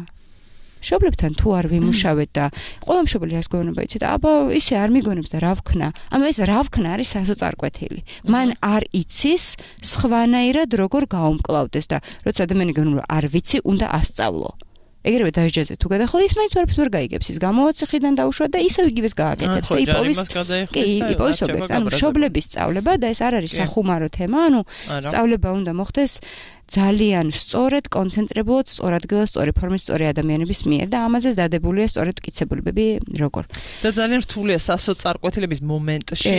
მშობლებთან თუ არ ვიმუშავეთ და ყველა მშობელი რას გეუბნება იცით, აბა ისე არ მიგონებს და რა ვქნა. ანუ ეს რა ვქნა არის სასოწარკვეთილი. მან არ იცის სხვანაირად როგორ გაუმკლავდეს და როცა ადამიანი გეუბნება არ ვიცი, უნდა ასწავლო. ეგრევე დაჟჯაზე თუ გადახლა ის მაინც ვერაფერს ვერ გაიგებს, ის გამოვაციხიდან დაუშვა და ისევ იგივეს გააკეთებს. და იპოვის კი, იპოვის ობიექტი. ანუ მშობლების სწავლება და ეს არ არის სახუმარო თემა, ანუ სწავლება უნდა მოხდეს ძალიან სწორად, კონცენტრირებულად, სწორ ადგილას, სწორი ფორმის, სწორი ადამიანების მიერ და ამაზე დადებულია სწორედ მტკიცებულებები როგორ. და ძალიან რთულია სასოწარკვეთილების მომენტში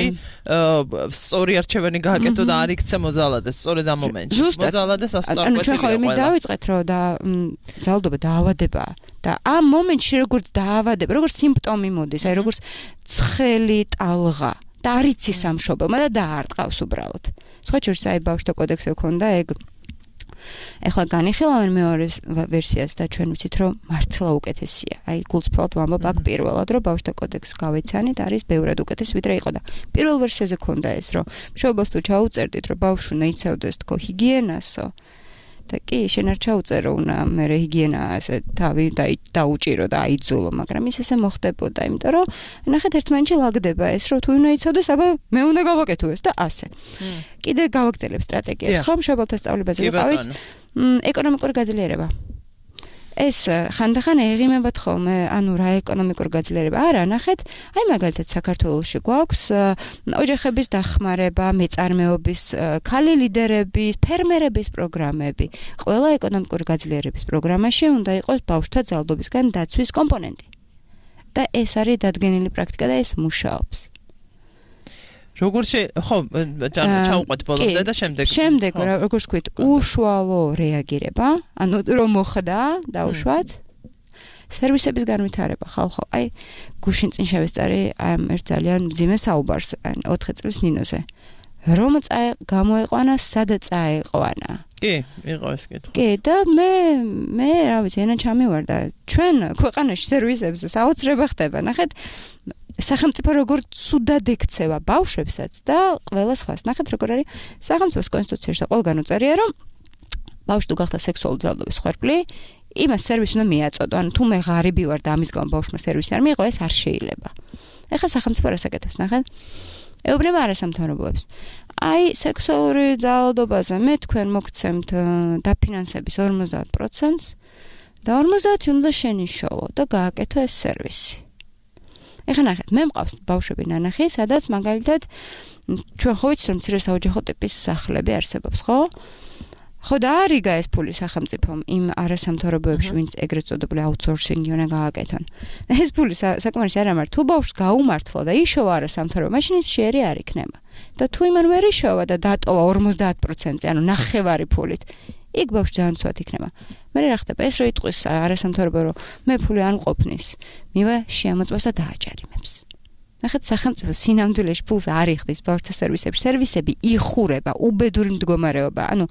სწორი არჩევანი გააკეთო და არ იქცე მოძალადეს სწორედ ამ მომენტში. მოძალადეს სასოწარკვეთილი. ანუ ჩვენ ხო იმით დავიწყეთ, რომ და ძალადობა დაავადებაა და ამ მომენტში როგორც დაავადება, როგორც სიმპტომი მოდის, აი როგორც ცხელი ტალღა და არ იცის ამ მშობელმა და დაარტყავს უბრალოდ. სხვა შორის აი ბავშვთა კოდექსზე ქონდა ეგ ეხლა განიხილავენ მეორე ვერსიას და ჩვენ ვიცით რომ მართლა უკეთესია. აი გულწრფელად ვამბობ აქ პირველად რომ ბავშვთა კოდექსს გავეცანით არის ბევრად უკეთესი ვიდრე იყო და პირველ ვერსიაზე ქონდა ეს რომ მშობელს თუ ჩაუწერდით რომ ბავშვი უნდა იცავდეს თქო ჰიგიენასო და კი შენ არ ჩაუწერო უნდა მე ჰიგიენა ასე თავი დაუჭირო და აიძულო მაგრამ ის ესე მოხდებოდა იმიტომ რომ ნახეთ ერთმანეთში ლაგდება ეს რომ თუ უნდა იცავდეს აბა მე უნდა გავაკეთო ეს და ასე კიდე გავაგრძელებ სტრატეგიას ხომ მშობელთა სწავლებაზე ვიყავით ეკონომიკური გაძლიერება ეს ხანდახან ეღიმებათ ხოლმე ანუ რა ეკონომიკური გაძლიერება არა ნახეთ აი მაგალითად საქართველოში გვაქვს ოჯახების დახმარება მეწარმეობის ქალი ლიდერების ფერმერების პროგრამები ყველა ეკონომიკური გაძლიერების პროგრამაში უნდა იყოს ბავშვთა ძალადობისგან დაცვის კომპონენტი და ეს არის დადგენილი პრაქტიკა და ეს მუშაობს როგორ შე ხო ჩაუყვეთ ბოლომდე და შემდეგ შემდეგ როგორც ვთქვით უშუალო რეაგირება ანუ რომ მოხდა დაუშვათ სერვისების განვითარება ხალხო აი გუშინ წინ შევესწარი ამ ერთ ძალიან მძიმე საუბარს ოთხი წლის ნინოზე რომ წაე გამოეყვანა სადა წაეყვანა კი იყო ეს კითხვა კი და მე მე რა ვიცი ენა ჩამივარდა ჩვენ ქვეყანაში სერვისებზე საოცრება ხდება ნახეთ სახელმწიფო როგორ ცუდად ექცევა ბავშვებსაც და ყველა სხვას. ნახეთ როგორ არის სახელმწიფოს კონსტიტუციაში და ყველგან უწერია რომ ბავშვი თუ გახდა სექსუალური ძალადობის ხვერპლი, იმას სერვისი უნდა მიაწოდო. ანუ თუ მე ღარიბი ვარ და ამის გამო ბავშვმა სერვისი არ მიიღო, ეს არ შეიძლება. ეხლა სახელმწიფო რას აკეთებს, ნახეთ? ეუბნება არასამთავრობოებს. აი სექსუალური ძალადობაზე მე თქვენ მოგცემთ დაფინანსების ორმოცდაათ პროცენტს და ორმოცდაათი უნდა შენიშოვო და გააკეთო ეს სერვისი. ეხლა ნახეთ, მე მყავს ბავშვები ნანახი, სადაც მაგალითად ჩვენ ხო ვიცით რომ მცირე საოჯახო ტიპის სახლები არსებობს, ხო? ხო და არიგა ეს ფული სახელმწიფომ იმ არასამთავრობოებში, ვინც ეგრეთ წოდებული აუთსორსინგი უნდა გააკეთონ. ეს ფული საკმარისი არ ამარ, თუ ბავშვს გაუმართლა და იშოვა არასამთავრობო, მაშინ ის შეერი არ იქნება. და თუ იმან ვერ იშოვა და დატოვა ორმოცდაათ პროცენტზე, ანუ ნახევარი ფულით, იქ ბავშვი ძალიან ცუდად იქნება. მე რა ხდება ეს რო იტყვის არასამთავრობო რომ მე ფული არ მყოფნის, მივა შეამოწმოს და დააჯარიმებს. ნახეთ სახელმწიფო სინამდვილეში ფულს არ იხდის ბავშვთა სერვისებში. სერვისები იხურება, უბედური მდგომარეობა. ანუ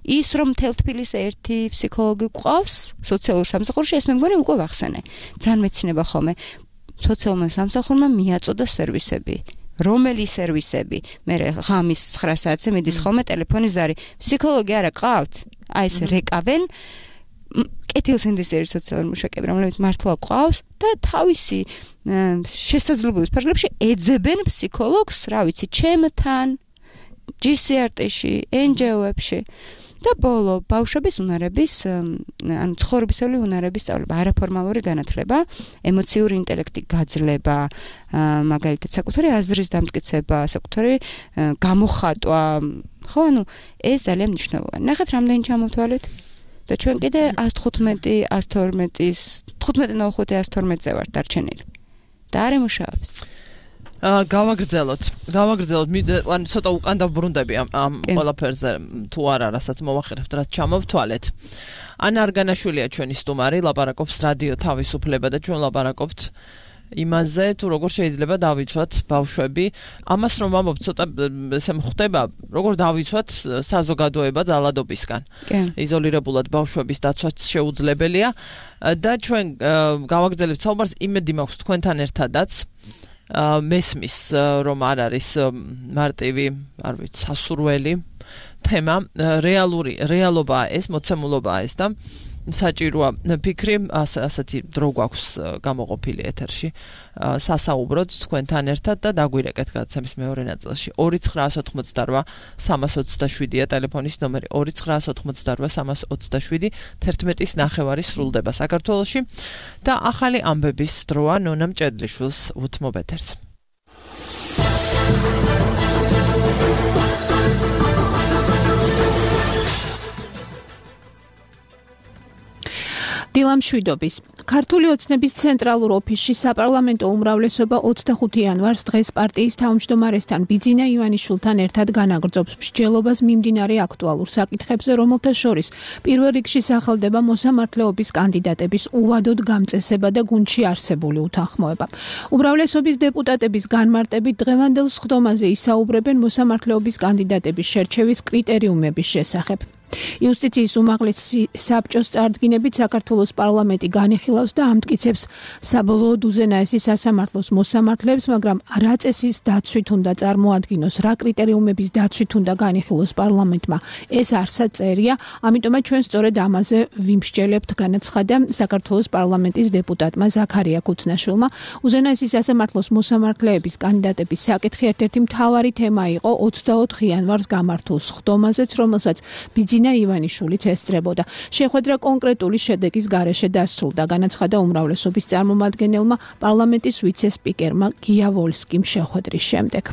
ის რომ მთელ თბილისს ერთი ფსიქოლოგი გვყავს სოციალურ სამსახურში, ეს მე მგონი უკვე ვახსენე. ძალიან მეცინება ხოლმე სოციალურმა სამსახურმა მიაწოდა სერვისები. რომელი სერვისები? მე ღამის ცხრა საათზე მიდის ხოლმე ტელეფონის ზარი. ფსიქოლოგი არა ყავთ? აი ეს რეკავენ კეთილსინდისის ერთ სოციალურ მუშაკები, რომლებიც მართლა ყავს და თავისი შესაძლებლობის ფარგლებში ეძებენ ფსიქოლოგს, რა ვიცი, ჩემთან, ჯი სი არ ტი-ში, εν ჯი ო-ებში. და ბოლო ბავშვების უნარების ანუ ცხოვრებისეული უნარების სწავლება, არაფორმალური განათლება, ემოციური ინტელექტი გაძლება, მაგალითად საკუთარი აზრის დამტკიცება, საკუთარი გამოხატვა, ხო, ანუ ეს ძალიან მნიშვნელოვანია. ნახეთ რამდენი ჩამოვთვალეთ და ჩვენ კიდე ას თხუთმეტი, ას თორმეტის, თხუთმეტი ნახევარი ას თორმეტზე ვართ დარჩენილი. და არ ემუშავებთ. აა გავაგრძელოთ. გავაგრძელოთ. ან ცოტა უკან დაბრუნდები ამ ამ ყველაფერზე თუ არა, რასაც მოვახერხებთ, რაც ჩამოვთვალეთ. ანა არგანაშვილია ჩვენი სტუმარი, ლაპარაკობს რადიო თავისუფლება და ჩვენ ლაპარაკობთ იმაზე, თუ როგორ შეიძლება დავიცვათ ბავშვები. ამას რომ ვამბობ, ცოტა ესე ხდება, როგორ დავიცვათ საზოგადოება ძალადობისგან. იზოლირებულად ბავშვების დაცვაც შეუძლებელია და ჩვენ გავაგრძელებთ საუბარს, იმედი მაქვს თქვენთან ერთადაც. მესმის რომ არ არის მარტივი, არ ვიცი, სასურველი თემა, რეალური რეალობაა ეს, მოცემულობაა ეს და საჭიროა ფიქრი ასეთი დრო გვაქვს გამოყოფილი ეთერში სასაუბროთ თქვენთან ერთად და დაგვირეკეთ გადაცემის მეორე ნაწილში ორი ცხრა ოთხმოცდარვა სამას ოცდაშვიდია ტელეფონის ნომერი ორი ცხრა ოთხმოცდარვა სამას ოცდაშვიდი თერთმეტის ნახევარი სრულდება საქართველოში და ახალი ამბების დროა ნონა მჭედლიშვილს უთმობ ეთერს დილამშვიდობის ქართული ოცნების ცენტრალურ ოფისში საპარლამენტო უმრავლესობა ოცდახუთი იანვარს დღეს პარტიის თავმჯდომარესთან ბიძინა ივანიშვილთან ერთად განაგრძობს მსჯელობას მიმდინარე აქტუალურ საკითხებზე, რომელთა შორის პირველ რიგში სახელდება მოსამართლეობის კანდიდატების უვადოდ გამწესება და გუნდში არსებული უთანხმოება. უმრავლესობის დეპუტატების განმარტებით დღევანდელ სხდომაზე ისაუბრებენ მოსამართლეობის კანდიდატების შერჩევის კრიტერიუმების შესახებ. იუსტიციის უმაღლესი საბჭოს წარდგინებით საქართველოს პარლამენტი განიხილავს და ამტკიცებს საბოლოოდ უზენაესი სასამართლოს მოსამართლეებს, მაგრამ რა წესის დაცვით უნდა წარმოადგინოს, რა კრიტერიუმების დაცვით უნდა განიხილოს პარლამენტმა, ეს არსად წერია, ამიტომაც ჩვენ სწორედ ამაზე ვიმსჯელებთ, განაცხადა საქართველოს პარლამენტის დეპუტატმა ზაქარია ქუცნაშვილმა. უზენაესი სასამართლოს მოსამართლეების კანდიდატების საკითხი ერთ-ერთი მთავარი თემა იყო ოცდაოთხ იანვარს გამართულ სხდომაზეც, რომელსაც ბიძინა ივანიშვილიც ესწრებოდა. შეხვედრა კონკრეტული შედეგის გარეშე დასრულდა, განაცხადა უმრავლესობის წარმომადგენელმა პარლამენტის ვიცე-სპიკერმა გია ვოლსკიმ შეხვედრის შემდეგ.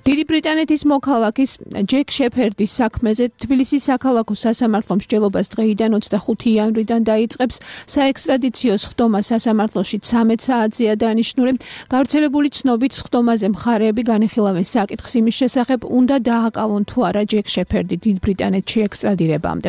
დიდი ბრიტანეთის მოქალაქის ჯეკ შეფერდის საქმეზე თბილისის საქალაქო სასამართლო მსჯელობას დღეიდან ოცდახუთი იანვრიდან დაიწყებს. საექსტრადიციო სხდომა სასამართლოში ცამეტ საათზეა დანიშნული. გავრცელებული ცნობით სხდომაზე მხარეები განიხილავენ საკითხს იმის შესახებ, უნდა დააკავონ თუ არა ჯეკ შეფერდი დიდ ბრიტანეთში ექსტრადირებამდე.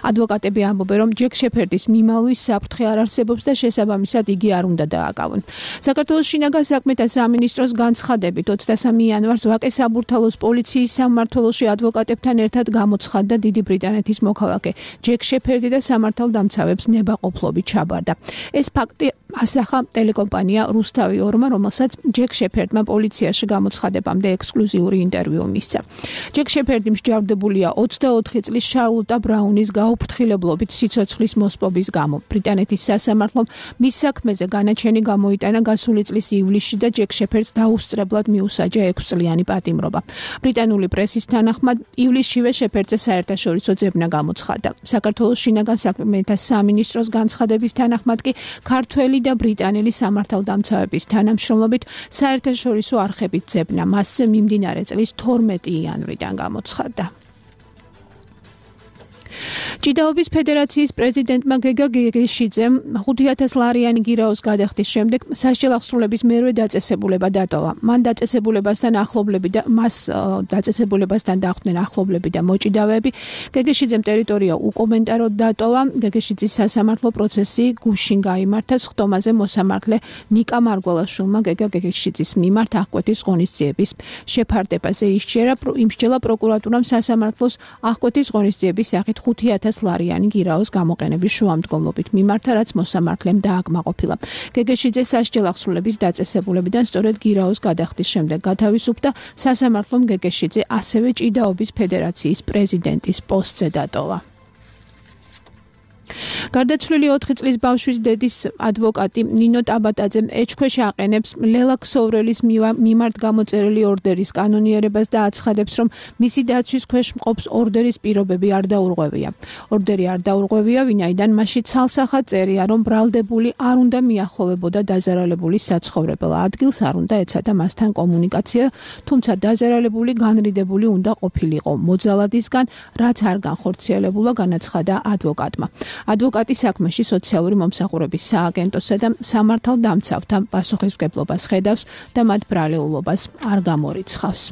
ადვოკატები ამბობენ, რომ ჯეკ შეფერდის მიმალვის საფრთხე არ არსებობს და შესაბამისად იგი არ უნდა დააკავონ. საქართველოს შინაგან საქმეთა სამინისტროს განცხადებით ოცდასამი იანვარს ვაკე საბურთალოს პოლიციის სამმართველოში ადვოკატებთან ერთად გამოცხადდა დიდი ბრიტანეთის მოქალაქე ჯეკ შეფერდი და სამართალდამცავებს ნებაყოფლობით ჩაბარდა. ეს ფაქტი ასახა ტელეკომპანია რუსთავი ორმა, რომელსაც ჯეკ შეფერდმა პოლიციაში გამოცხადებამდე ექსკლუზიური ინტერვიუ მისცა. ჯეკ შეფერდი მსჯავრდებულია ოცდაოთხი წლის შარლოტა ბრაუნის გაუფრთხილებლობით სიცოცხლის მოსპობის გამო. ბრიტანეთის სასამართლომ მის საქმეზე განაჩენი გამოიტანა გასული წლის ივლისში და ჯეკ შეფერდს დაუსწრებლად მიუსაჯა ექვსწლიანი პატიმრობა. ბრიტანული პრესის თანახმად ივლისშივე შეფერდზე საერთაშორისო ძებნა გამოცხადდა. საქართველოს შინაგან საქმეთა სამინისტროს განცხადების თანახმად კი ქართველი და ბრიტანელი სამართალდამცავების თანამშრომლობით საერთაშორისო არხებით ძებნა მასზე მიმდინარე წლის თორმეტი იანვრიდან გამოცხადდა. ჭიდაობის ფედერაციის პრეზიდენტმა გეგა გეგეშიძემ ხუთი ათას ლარიანი გირაოს გადახდის შემდეგ სასჯელ აღსრულების მერვე დაწესებულება დატოვა. მან დაწესებულებასთან ახლობლები და მას დაწესებულებასთან დახვდნენ ახლობლები და მოჭიდავეები. გეგეშიძემ ტერიტორია უკომენტაროდ დატოვა. გეგეშიძის სასამართლო პროცესი გუშინ გაიმართა. სხდომაზე მოსამართლე ნიკა მარგველაშვილმა გეგა გეგეშიძის მიმართ აღკვეთის ღონისძიების შეფარდებაზე ისჯერა. იმსჯელა პროკურატურამ სასამართლოს აღკვეთის ღონისძიების სახით ხუთი ათას ლარიანი გირაოს გამოყენების შუამდგომლობით მიმართა, რაც მოსამართლემ დააკმაყოფილა. გეგეშიძე სასჯელ აღსრულების დაწესებულებიდან სწორედ გირაოს გადახდის შემდეგ გათავისუფლდა. სასამართლომ გეგეშიძე ასევე ჭიდაობის ფედერაციის პრეზიდენტის პოსტზე დატოვა. გარდაცვლილი ოთხი წლის ბავშვის დედის ადვოკატი ნინო ტაბატაძემ ეჭქვეშ აყენებს ლელა ქსოვრელის მიმართ გამოწერილი ორდერის კანონიერებას და აცხადებს, რომ მისი დაცვის ქვეშ მყოფს ორდერის პირობები არ დაურღვევია. ორდერი არ დაურღვევია, ვინაიდან მასში ცალსახად წერია, რომ ბრალდებული არ უნდა მიახლოვებოდა დაზარალებული საცხოვრებელ ადგილს, არ უნდა ეცადა მასთან კომუნიკაცია, თუმცა დაზარალებული განრიდებული უნდა ყოფილიყო მოძალადისგან, რაც არ განხორციელებულა, განაცხადა ადვოკატმა. ადვოკატი საქმეში სოციალური მომსახურების სააგენტოსა და სამართალდამცავთა პასუხისმგებლობას ხედავს და მათ ბრალეულობას არ გამორიცხავს.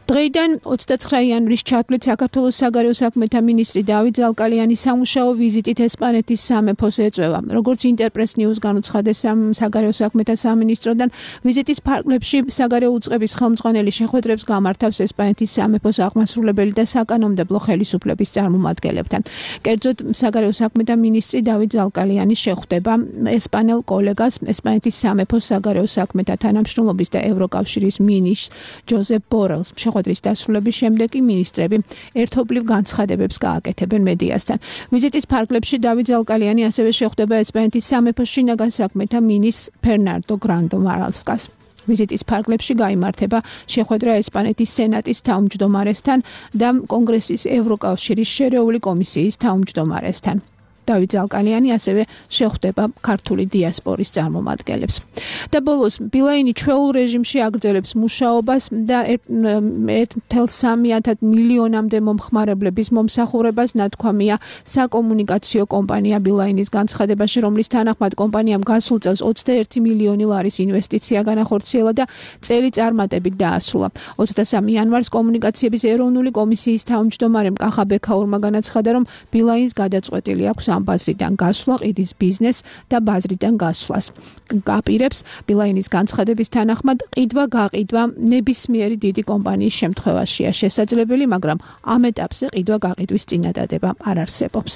დღეიდან ოცდაცხრა იანვრის ჩათვლით საქართველოს საგარეო საქმეთა მინისტრი დავით ზალკალიანი სამუშაო ვიზიტით ესპანეთის სამეფოს ეწვევა. როგორც ინტერპრეს ნიუს განუცხადეს საგარეო საქმეთა სამინისტროდან, ვიზიტის ფარგლებში საგარეო უწყების ხელმძღვანელი შეხვედრებს გამართავს ესპანეთის სამეფოს აღმასრულებელი და საკანონმდებლო ხელისუფლების წარმომადგენლებთან. კერძოდ, საგარეო საქმეთა მინისტრი დავით ზალკალიანი შეხვდება ესპანელ კოლეგას, ესპანეთის სამეფოს საგარეო საქმეთა თანამშრომლობის და ევროკავშირის მინისტრს ჯოზეფ ბორელს. შეხვედრის დასრულების შემდეგ კი მინისტრები ერთობლივ განცხადებებს გააკეთებენ მედიასთან. ვიზიტის ფარგლებში დავით ზალკალიანი ასევე შეხვდება ესპანეთის სამეფო შინაგან საქმეთა მინისტრ ფერნანდო გრანდო მარალსკას. ვიზიტის ფარგლებში გაიმართება შეხვედრა ესპანეთის სენატის თავმჯდომარესთან და კონგრესის ევროკავშირის შერეული კომისიის თავმჯდომარესთან. დავით ზალკალიანი ასევე შეხვდება ქართული დიასპორის წარმომადგენლებს. და ბოლოს ბილაინი ჩვეულ რეჟიმში აგრძელებს მუშაობას და ერთ წუთი სამი მილიონამდე მომხმარებლების მომსახურებას ნათქვამია საკომუნიკაციო კომპანია ბილაინის განცხადებაში, რომლის თანახმად კომპანიამ გასულ წელს ოცდაერთი მილიონი ლარის ინვესტიცია განახორციელა და წელი წარმატებით დაასრულა. ოცდასამი იანვარს კომუნიკაციების ეროვნული კომისიის თავმჯდომარემ კახა ბექაურმა განაცხადა, რომ ბილაინს გადაწყვეტილი აქვს ამ ბაზრიდან გასვლა, ყიდის ბიზნეს და ბაზრიდან გასვლას. გაპირებს ბილაინის განცხადების თანახმად ყიდვა-გაყიდვა ნებისმიერი დიდი კომპანიის შემთხვევაშია შესაძლებელი, მაგრამ ამ ეტაპზე ყიდვა-გაყიდვის წინადადება არ არსებობს.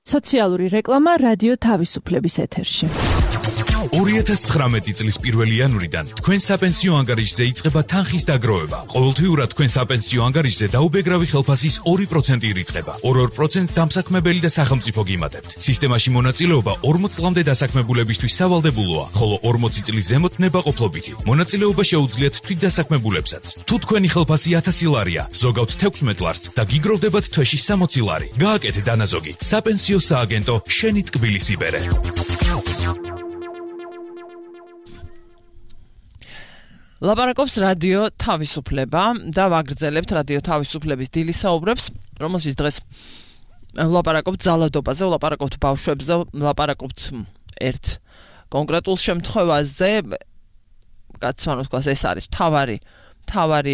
სოციალური რეკლამა რადიო თავისუფლების ეთერში. ორი ათას ცხრამეტი წლის პირველი იანვრიდან თქვენ საპენსიო ანგარიშზე იწყება თანხის დაგროვება. ყოველთვიურად თქვენ საპენსიო ანგარიშზე დაუბეგრავი ხელფასის ორი პროცენტი ირიცხება. ორ-ორ პროცენტს დამსაქმებელი და სახელმწიფო გიმატებთ. სისტემაში მონაწილეობა ორმოც წლამდე დასაქმებულებისთვის სავალდებულოა, ხოლო ორმოცი წლის ზემოთ ნებაყოფლობითი. მონაწილეობა შეუძლიათ თვითდასაქმებულებსაც. თუ თქვენი ხელფასი ათასი ლარია, ზოგავთ თექვსმეტ ლარს და გიგროვდებათ თვეში სამოცი ლარი. გააკეთე დანაზოგი. საპენსიო სააგენტო შენი ტკბილის იბერე. ლაპარაკობს რადიო თავისუფლება და ვაგრძელებთ რადიო თავისუფლების დილის საუბრებს, რომელშიც დღეს ვლაპარაკობთ ძალადობაზე, ვლაპარაკობთ ბავშვებზე, ვლაპარაკობთ ერთ კონკრეტულ შემთხვევაზე, კაცმან ვთქვას, ეს არის მთავარი, მთავარი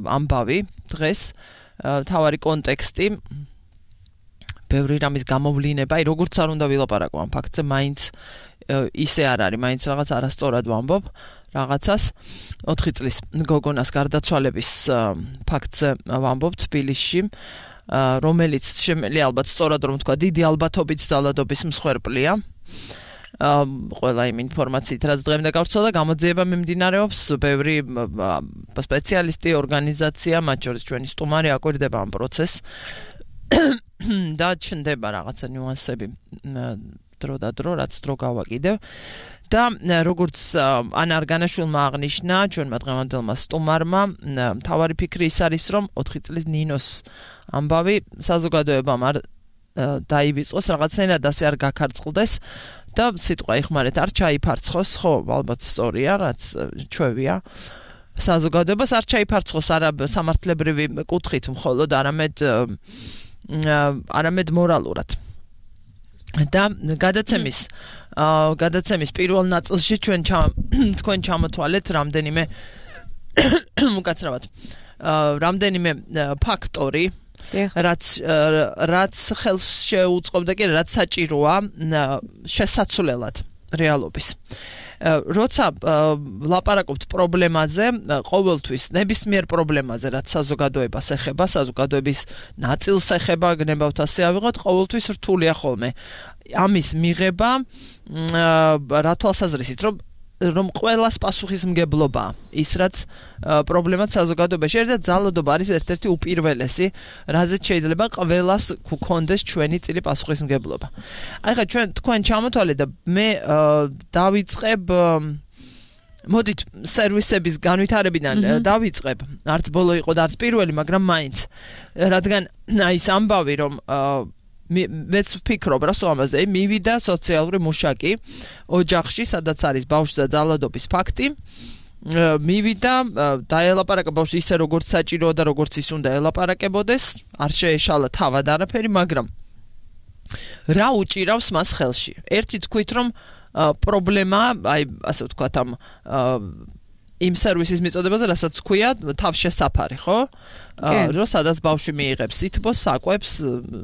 ამბავი დღეს, მთავარი კონტექსტი, ბევრი რამის გამოვლინება, აი როგორც არ უნდა ვილაპარაკო ამ ფაქტზე, მაინც ისე არ არის, მაინც რაღაც არასწორად ვამბობ რაღაცას. ოთხი წლის გოგონას გარდაცვალების ფაქტზე ვამბობ თბილისში, რომელიც შემიძლია ალბათ სწორად რომ თქვა, დიდი ალბათობით ძალადობის მსხვერპლია. ყველა იმ ინფორმაციით, რაც დღემდე გავრცელდა, გამოძიება მიმდინარეობს, ბევრი სპეციალისტი, ორგანიზაცია, მათ შორის ჩვენი სტუმარი აკვირდება ამ პროცესს და ჩნდება რაღაცა ნიუანსები დრო და დრო, რაც დრო გავაკიდევ. და როგორც ანა არგანაშვილმა აღნიშნა, ჩვენმა დღევანდელმა სტუმარმა, მთავარი ფიქრი ის არის, რომ ოთხი წლის ნინოს ამბავი საზოგადოებამ არ დაივიწყოს, რაღაცნაირად ასე არ გაქარწყლდეს და სიტყვა იხმარეთ, არ ჩაიფარცხოს, ხო, ალბათ სწორია, რაც ჩვევია. საზოგადოებას არ ჩაიფარცხოს არა სამართლებრივი კუთხით მხოლოდ, არამედ არამედ მორალურად. და გადაცემის გადაცემის პირველ ნაწილში ჩვენ თქვენ ჩამოთვალეთ რამდენიმე უკაცრავად რამდენიმე ფაქტორი, რაც რაც ხელს შეუწყობდა კი რაც საჭიროა შესაძლებლად რეალობის. როცა ვლაპარაკობთ პრობლემაზე, ყოველთვის ნებისმიერ პრობლემაზე, რაც საზოგადოებას ეხება, საზოგადოების ნაწილს ეხება, გნებავთ ასე ავიღოთ, ყოველთვის რთულია ხოლმე ამის მიღება რა თვალსაზრისით, რომ რომ ყველას პასუხისმგებლობა ის რაც პრობლემად საზოგადოებაში არის და ძალადობა არის ერთ-ერთი უპირველესი, რაზეც შეიძლება ყველას გქონდეს ჩვენი წილი პასუხისმგებლობა. ახლა ჩვენ თქვენ ჩამოთვალეთ და მე დავიწყებ მოდით სერვისების განვითარებიდან დავიწყებ, არც ბოლო იყო და არც პირველი, მაგრამ მაინც, რადგან აი ეს ამბავი რომ მეც ვფიქრობ რა ამაზე, მივიდა სოციალური მუშაკი ოჯახში, სადაც არის ბავშვზე ძალადობის ფაქტი, მივიდა დაელაპარაკა ბავშვი ისე როგორც საჭიროა და როგორც ის უნდა ელაპარაკებოდეს, არ შეეშალა თავად არაფერი, მაგრამ რა უჭირავს მას ხელში? ერთი თქვით რომ პრობლემა, აი ასე ვთქვათ ამ იმ სერვისის მიწოდებაზე, რასაც ქვია თავშესაფარი, ხო? რომ სადაც ბავშვი მიიღებს სითბოს, საკვებს,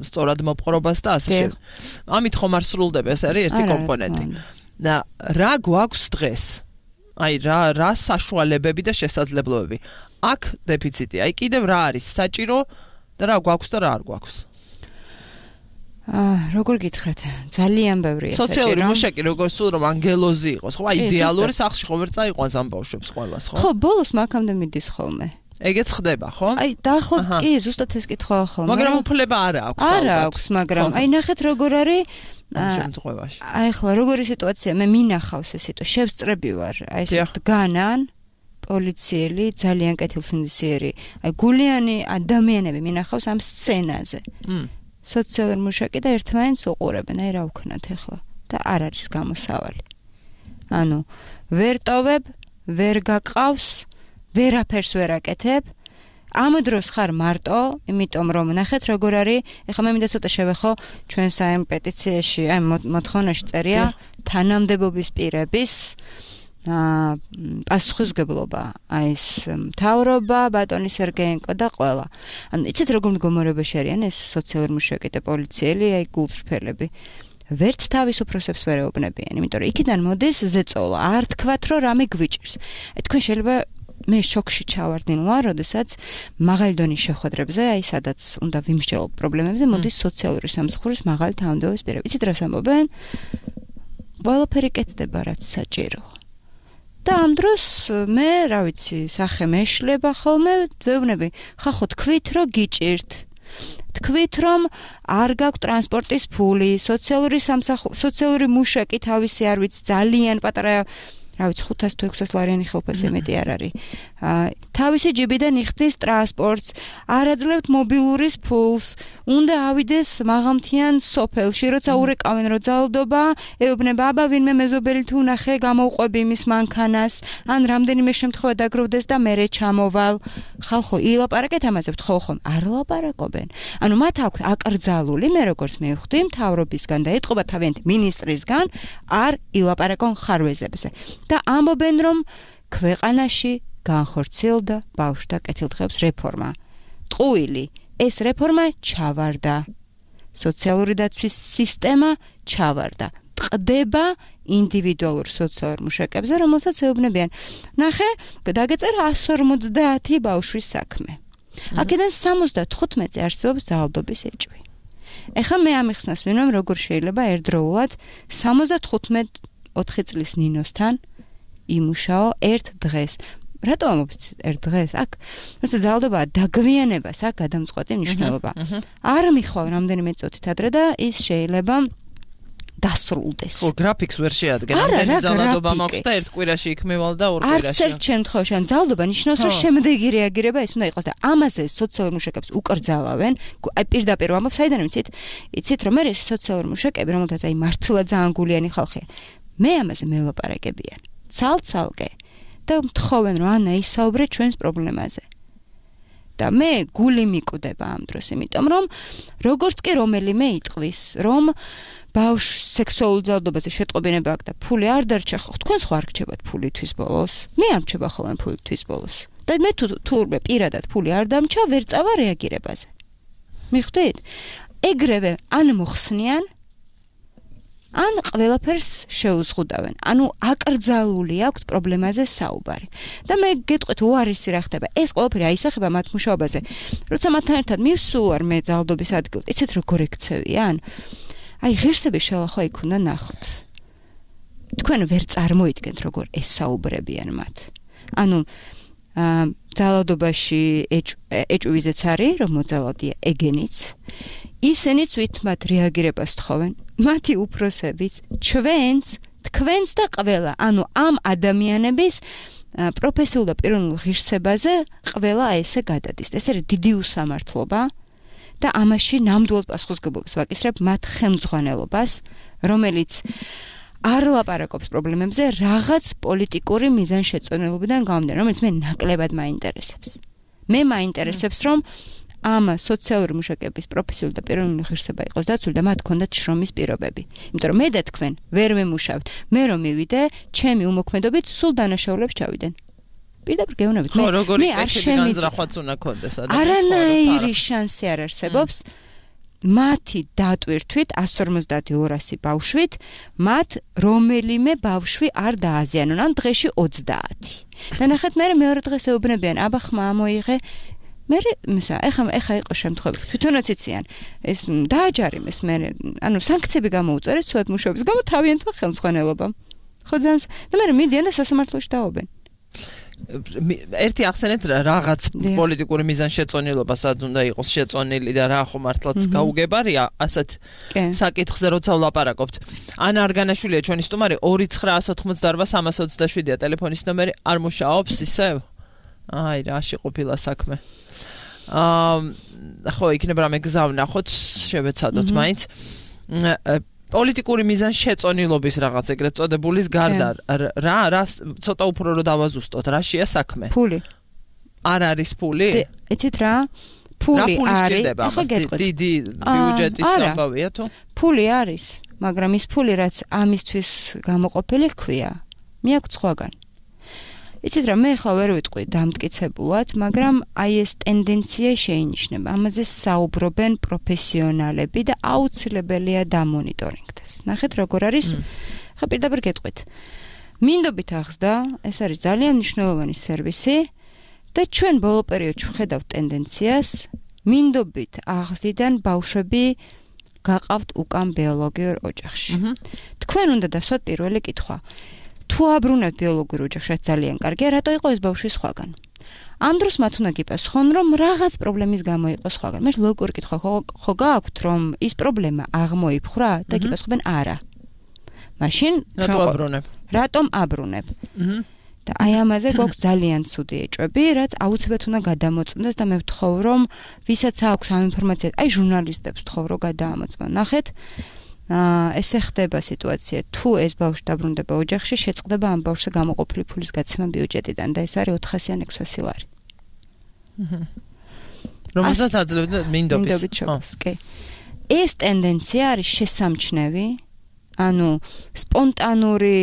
სწორად მოპყრობას და ასე შემდეგ. ამით ხომ არ სრულდება, ეს არის ერთი კომპონენტი. და რა გვაქვს დღეს? აი რა რა საშუალებები და შესაძლებლობები? აქ დეფიციტია. აი კიდევ რა არის საჭირო და რა გვაქვს და რა არ გვაქვს? აა როგორ გითხრათ ძალიან ბევრია სოციალური მუშაკი როგორ სულ რომ ანგელოზი იყოს ხო აი იდეალური სახლში ხო ვერ წაიყვანს ამ ბავშვებს ყველას ხო ხო ბოლოს მაგამდე მიდის ხოლმე ეგეც ხდება ხო აი დაახლოებით კი ზუსტად ეს კითხვა ხოლმე მაგრამ უფლება არა აქვს არა აქვს მაგრამ აი ნახეთ როგორ არის ამ შემთხვევაში აი ხლა როგორი სიტუაცია მე მინახავს ეს სიტუაცია შევწრები ვარ აი ეს დგანან პოლიციელი ძალიან კეთილსინდისიერი აი გულიანი ადამიანები მინახავს ამ სცენაზე სოციალური მუშაკი და ერთმანეთს უყურებენ აი რა ვქნათ ახლა და არ არის გამოსავალი ანუ ვერ ტოვებ ვერ გაყავს ვერაფერს ვერ აკეთებ ამ დროს ხარ მარტო იმიტომ რომ ნახეთ როგორ არის ეხლა მე მინდა ცოტა შევეხო ჩვენს აი პეტიციაში აი მოთხოვნაში წერია თანამდებობის პირების აა პასუხისმგებლობა აი ეს მთავრობა ბატონი სერგეენკო და ყველა ანუ იცით როგორ მდგომარეობაში არიან ეს სოციალური მუშაკი და პოლიციელი აი გულწრფელები ვერც თავის უფროსებს ვერ ეუბნებიან იმიტომ რომ იქიდან მოდის ზეწოლა არ თქვათ რომ რამე გვიჭირს აი თქვენ შეიძლება მე შოქში ჩავარდნილვარ, როდესაც მაღალი დონის შეხვედრებზე, აი სადაც უნდა ვიმსჯელო პრობლემებზე, მოდის სოციალური სამსახურის მაღალი თანამდებობის პირები. იცით რას ამბობენ? ყველაფერი კეთდება, რაც საჭიროა. და ამ დროს მე, რა ვიცი, სახე მეშლება ხოლმე, ვეუბნები, ხახო თქვით, რომ გიჭირთ. თქვით, რომ არ გაქვთ ტრანსპორტის ფული, სოციალური სამსახური, სოციალური მუშაკი თავისი არ ვიცი, ძალიან პატარა რა ვიცი ხუთას თუ ექვსას ლარიანი ხელფასზე მეტი არ არის. თავისი ჯიბიდან იხდის ტრანსპორტს, არ აძლევთ მობილურის ფულს, უნდა ავიდეს მაღალმთიან სოფელში, როცა ურეკავენ რო ძალდობა, ეუბნება აბა ვინმე მეზობელი თუ ნახე, გამოვყვები იმის მანქანას, ან რამდენიმე შემთხვევა დაგროვდეს და მერე ჩამოვალ. ხალხო, ილაპარაკეთ ამაზე, ხო ხომ, არ ლაპარაკობენ. ანუ მათ აქვს აკრძალული, მე როგორც მივხვდი, მთავრობისგან და ეთყობა თავიანთი მინისტრისგან, არ ილაპარაკონ ხარვეზებზე. და ამბობენ რომ ქვეყანაში განხორციელდა ბავშვთა კეთილდღეობის რეფორმა. ტყუილი, ეს რეფორმა ჩავარდა. სოციალური დაცვის სისტემა ჩავარდა. ტყდება ინდივიდუალურ სოციალურ მუშაკებზე, რომელსაც ეუბნებიან. ნახე, დაგეწერა εκατს ორმოცდაათი ბავშვის საქმე. აქედან სამოცდათხუთმეტზე არსებობს ძალადობის ეჭვი. ეხლა მე ამიხსნას მინდამ, როგორ შეიძლება ერთდროულად სამოცდათხუთმეტ ოთხი წლის ნინოსთან იმუშაო ერთ დღეს. რატო ამბობთ ერთ დღეს? აქ როცა ძალადობაა დაგვიანებას აქ გადამწყვეტი მნიშვნელობა. არ მიხვალ რამდენიმე წუთით ადრე და ის შეიძლება დასრულდეს. ხო, გრაფიკს ვერ შეადგენენ. რამდენი ძალადობა მაქვს და ერთ კვირაში იქ მევალ და ორ კვირაში. არც ერთ შემთხვევაში ან ძალადობა ნიშნავს რომ შემდეგი რეაგირება ეს უნდა იყოს და ამაზე სოციალური მუშაკებს უკრძალავენ. აი პირდაპირ ამბობ, საიდან ვიცით? იცით რომ ეს სოციალური მუშაკები, რომელთაც აი მართლა ძალიან გულიანი ხალხია. მე ამაზე მელაპარაკებიან. ცალ-ცალკე და მთხოვენ რომ ანა ისაუბრე ჩვენს პრობლემაზე. და მე გული მიკვდება ამ დროს, იმიტომ რომ როგორც კი რომელიმე იტყვის, რომ ბავშვს სექსუალურ ძალადობაზე შეტყობინება აქვს და ფული არ დარჩა, ხო, თქვენ სხვა არ გრჩებათ ფული თვის ბოლოს. მე ამრჩება ხოლმე ფული თვის ბოლოს. და მე თუ თურმე პირადად ფული არ დამჩა, ვერ წავა რეაგირებაზე. მიხვდით? ეგრევე ან მოხსნიან ან ყველაფერს შეუზღუდავენ. ანუ აკრძალული აქვს პრობლემაზე საუბარი. და მე გეტყვით უარესი რა ხდება. ეს ყველაფერი აისახება მათ მუშაობაზე. როცა მათთან ერთად მივსულვარ მე ძალადობის ადგილს, იცით როგორ ექცევიან? აი ღირსების შელახვა იქ უნდა ნახოთ. თქვენ ვერ წარმოიდგენთ როგორ ესაუბრებიან მათ. ანუ ძალადობაში ეჭვიზეც არის, რომ მოძალადია ეგენიც. ისინიც ვით მათ რეაგირებას თხოვენ. მათი უფროსებიც, ჩვენც, თქვენც და ყველა, ანუ ამ ადამიანების პროფესიულ და პიროვნულ ღირსებაზე ყველა ესე გადადის. ეს არის დიდი უსამართლობა და ამაში ნამდვილ პასუხისმგებლობას ვაკისრებ მათ ხელმძღვანელობას, რომელიც არ ლაპარაკობს პრობლემებზე რაღაც პოლიტიკური მიზანშეწონილობიდან გამომდინარე, რომელიც მე ნაკლებად მაინტერესებს. მე მაინტერესებს, რომ ამ სოციალური მუშაკების პროფესიული და პიროვნული ღირსება იყოს დაცული და მათ ჰქონდათ შრომის პირობები. იმიტომ რომ მე და თქვენ ვერ მემუშავთ. მე რომ მივიდე, ჩემი უმოქმედობით სულ დანაშაულებს ჩავიდენ. პირდაპირ გეუბნებით, მე მე არ შემიძლია უნდა კონდეს ადამიანს. არანაირი შანსი არ არსებობს. მათი დატვირთვით εκατს ორმოცდაათი ორასი ბავშვით, მათ რომელიმე ბავშვი არ დააზიანონ, ან დღეში ოცდაათი. და ნახეთ, მე მეორე დღეს ეუბნებიან, აბა ხმა მოიღე მე მისა ეხა ეხა იყო შემთხვევები თვითონაც იციან ეს დააჯარიმეს მე ანუ სანქციები გამოუწერეს ცუდად მუშაობის გამო თავიანთმა ხელმძღვანელობამ ხო ძალიან და მე მიდიან და სასამართლოში დაობენ ერთი ახსენეთ რაღაც პოლიტიკური მიზანშეწონილობა სად უნდა იყოს შეწონილი და რა ხო მართლაც გაუგებარია ასეთ საკითხზე როცა ვლაპარაკობთ ანა არგანაშვილია ჩვენი სტუმარი ორი ცხრაას ოთხმოცდაორვა სამას ოცდაშვიდია ტელეფონის ნომერი არ მუშაობს ისევ აი რაში ყოფილა საქმე აა ხო იქნება რამე გზა ვნახოთ შევეცადოთ მაინც პოლიტიკური მიზანშეწონილობის რაღაც ეგრეთ წოდებულის გარდა რა რა ცოტა უფრო რო დავაზუსტოთ რაშია საქმე ფული არ არის ფული იცით რა ფული არის ახლა დიდი ბიუჯეტის ამბავია თუ ფული არის მაგრამ ის ფული რაც ამისთვის გამოყოფილი ხქვია მე აქვს სხვაგან იცით რა მე ახლა ვერ ვიტყვი დამტკიცებულად მაგრამ აი ეს ტენდენცია შეინიშნება ამაზე საუბრობენ პროფესიონალები და აუცილებელია დამონიტორინგდეს ნახეთ როგორ არის ხა პირდაპირ გეტყვით მინდობით აღსდა ეს არის ძალიან მნიშვნელოვანი სერვისი და ჩვენ ბოლო პერიოდში ვხედავთ ტენდენციას მინდობით აღსდიდან ბავშვები გაყავთ უკან ბიოლოგიურ ოჯახში თქვენ უნდა დასვათ პირველი კითხვა თუ აბრუნებთ ბიოლოგიურ ოჯახში ძალიან კარგია რატო იყო ეს ბავშვი სხვაგან ამ დროს მათ უნდა გიპასუხონ რომ რაღაც პრობლემის გამო იყო სხვაგან მე ლოგიკური კითხვა ხო გააქვთ რომ ის პრობლემა აღმოიფხვრა და გიპასუხებენ არა მაშინ რატო აბრუნებ რატომ აბრუნებ და აი ამაზე გვაქვს ძალიან ცუდი ეჭვები რაც აუცილებლად უნდა გადამოწმდეს და მე ვთხოვ რომ ვისაც აქვს ამ ინფორმაცია აი ჟურნალისტებს ვთხოვ რომ გადაამოწმონ ნახეთ აა ესე ხდება სიტუაცია თუ ეს ბავშვი დაბრუნდება ოჯახში შეწყდება ამ ბავშვზე გამოყოფილი ფულის გაცემა ბიუჯეტიდან და ეს არის ოთხასი ან ექვსასი ლარი. აჰა. რომელსაც აძლევდა მინდობის ჩოქს, კი. ეს ტენდენცია არის შესამჩნევი, ანუ სპონტანური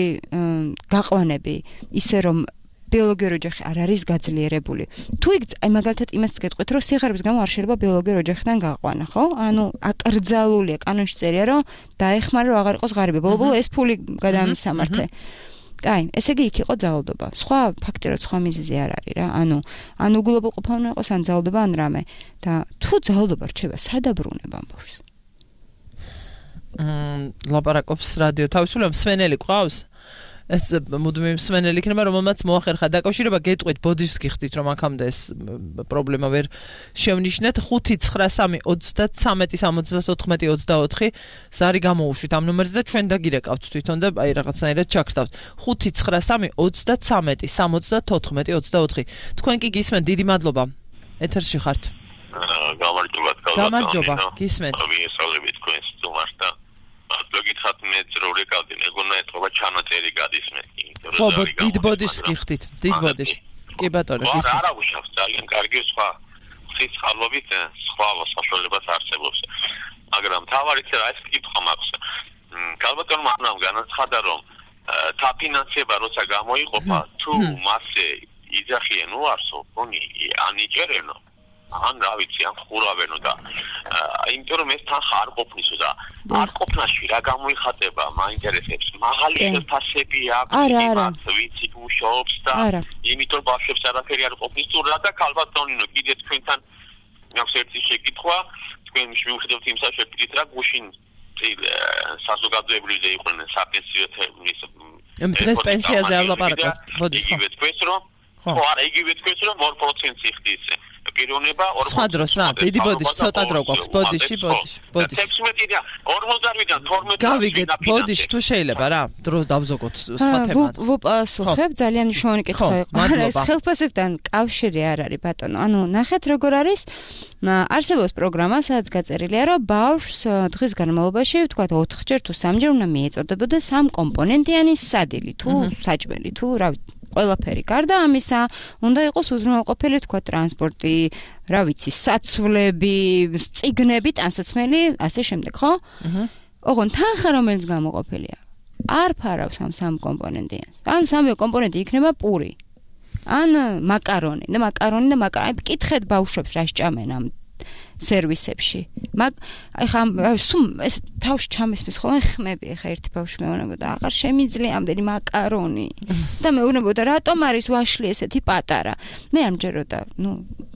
გაყვანები, ისე რომ ბიოლოგიურ ოჯახი არ არის გაძლიერებული. თუ იქ აი მაგალითად იმას გეტყვით, რომ სიღარიბის გამო არ შეიძლება ბიოლოგიურ ოჯახიდან გაყვანა, ხო? ანუ აკრძალულია კანონში წერია, რომ დაეხმარა რომ აღარ იყოს ღარიბი. ბოლო-ბოლო ეს ფული გადაამისამართე. კაი, ესე იგი იქ იყო ძალადობა. სხვა ფაქტი რა სხვა მიზეზი არ არის რა. ანუ ან უგულობელყოფა უნდა იყოს ან ძალადობა ან რამე. და თუ ძალადობა რჩება, სად აბრუნება ამ ბავშვს? მ ლაპარაკობს რადიო თავისუფლება მსმენელი ყავს? ეს მუდმივი მსმენელი იქნება, რომელმაც მოახერხა დაკავშირება, გეტყვით ბოდიშს გიხდით, რომ აქამდე ეს პრობლემა ვერ შევნიშნეთ. ხუთი ცხრა სამი ოცდათრამეტი სამოცდათოთხმეტი ოცდაოთხი ზარი გამოუშვით ამ ნომერზე და ჩვენ დაგირეკავთ თვითონ და აი რაღაცნაირად ჩაგხდავთ. ხუთი ცხრა სამი ოცდათრამეტი სამოცდათოთხმეტი ოცდაოთხი. თქვენ კი გისმენთ, დიდი მადლობა. ეთერში ხართ. გამარჯობა, გამარჯობა, გისმენთ. ვიესალმებით თქვენს სტუმარს და გითხათ მე რო რეკავდი მეგონა ეთქობა ჩანაწერი გადის მე ხო დიდ ბოდიშს გიხდით დიდ ბოდიშს კი ბატონო გისმენთ არა უშავს ძალიან კარგი სხვა სიცხალობით სხვა საშუალებას არსებობს მაგრამ თავარიც რა ეს კითხვა მაქვს გალბატონმა ამ განაცხადა რომ თაფინანსება როცა გამოიყოფა თუ მასე იძახიან უარსო ხონი ანიჭერენო ან რა ვიცი ან ხურავენო და იმიტომ რომ ეს თანხა არ ყოფნისო და არ ყოფნაში რა გამოიხატება მაინტერესებს მაღალი შეფასები აქვს იმათ ვიცით მუშაობს და იმიტომ ბავშვებს არაფერი არ ყოფნის თუ რა და ქალბატონინო კიდე თქვენთან აქვს ერთი შეკითხვა თქვენ მივხვდით იმ საშუალებით რა გუშინ საზოგადოებრივზე იყვნენ საპენსიო დღეს პენსიაზე არ ლაპარაკობთ მოდი იგივე თქვენს რომ ხო არა იგივე თქვენს რომ ორ პროცენტი ხდის პიროვნება სხვა დროს რა დიდი ბოდიში ცოტა დრო გვაქვს ბოდიში ბოდიში ბოდიში ექვსმეტიდან ორმოცდაოთხიდან თორმეტი გავიგეთ ბოდიში თუ შეიძლება რა დრო დავზოგოთ სხვა თემად ვუპასუხებ ძალიან მნიშვნელოვანი კითხვა იყო ეს ხელფასებთან კავშირი არ არის ბატონო ანუ ნახეთ როგორ არის არსებობს პროგრამა სადაც გაწერილია რომ ბავშვს დღის განმავლობაში ვთქვათ ოთხჯერ თუ სამჯერ უნდა მიეწოდებოდა სამკომპონენტიანი სადილი თუ საჭმელი თუ რა ყველაფერი გარდა ამისა უნდა იყოს უზრუნველყოფილი თქვა ტრანსპორტი, რა ვიცი, საცვლები, წიგნები, ტანსაცმელი, ასე შემდეგ, ხო? აჰა. ოღონ თანხა რომელიც გამოყოფილია, არ ფარავს ამ სამ კომპონენტიანს. ან სამი კომპონენტი იქნება პური. ან მაკარონი, და მაკარონი და მაკარონი, კითხეთ ბავშვებს რა სჭამენ ამ სერვისებში. მაგ ახლა სულ ეს თავში ჩამესმის ხოლმე ხმები ახლა ერთი ბავშვი მეუბნებოდა აღარ შემიძლია ამდენი მაკარონი და მეუბნებოდა რატომ არის ვაშლი ესეთი პატარა. მე არ მჯეროდა, ნუ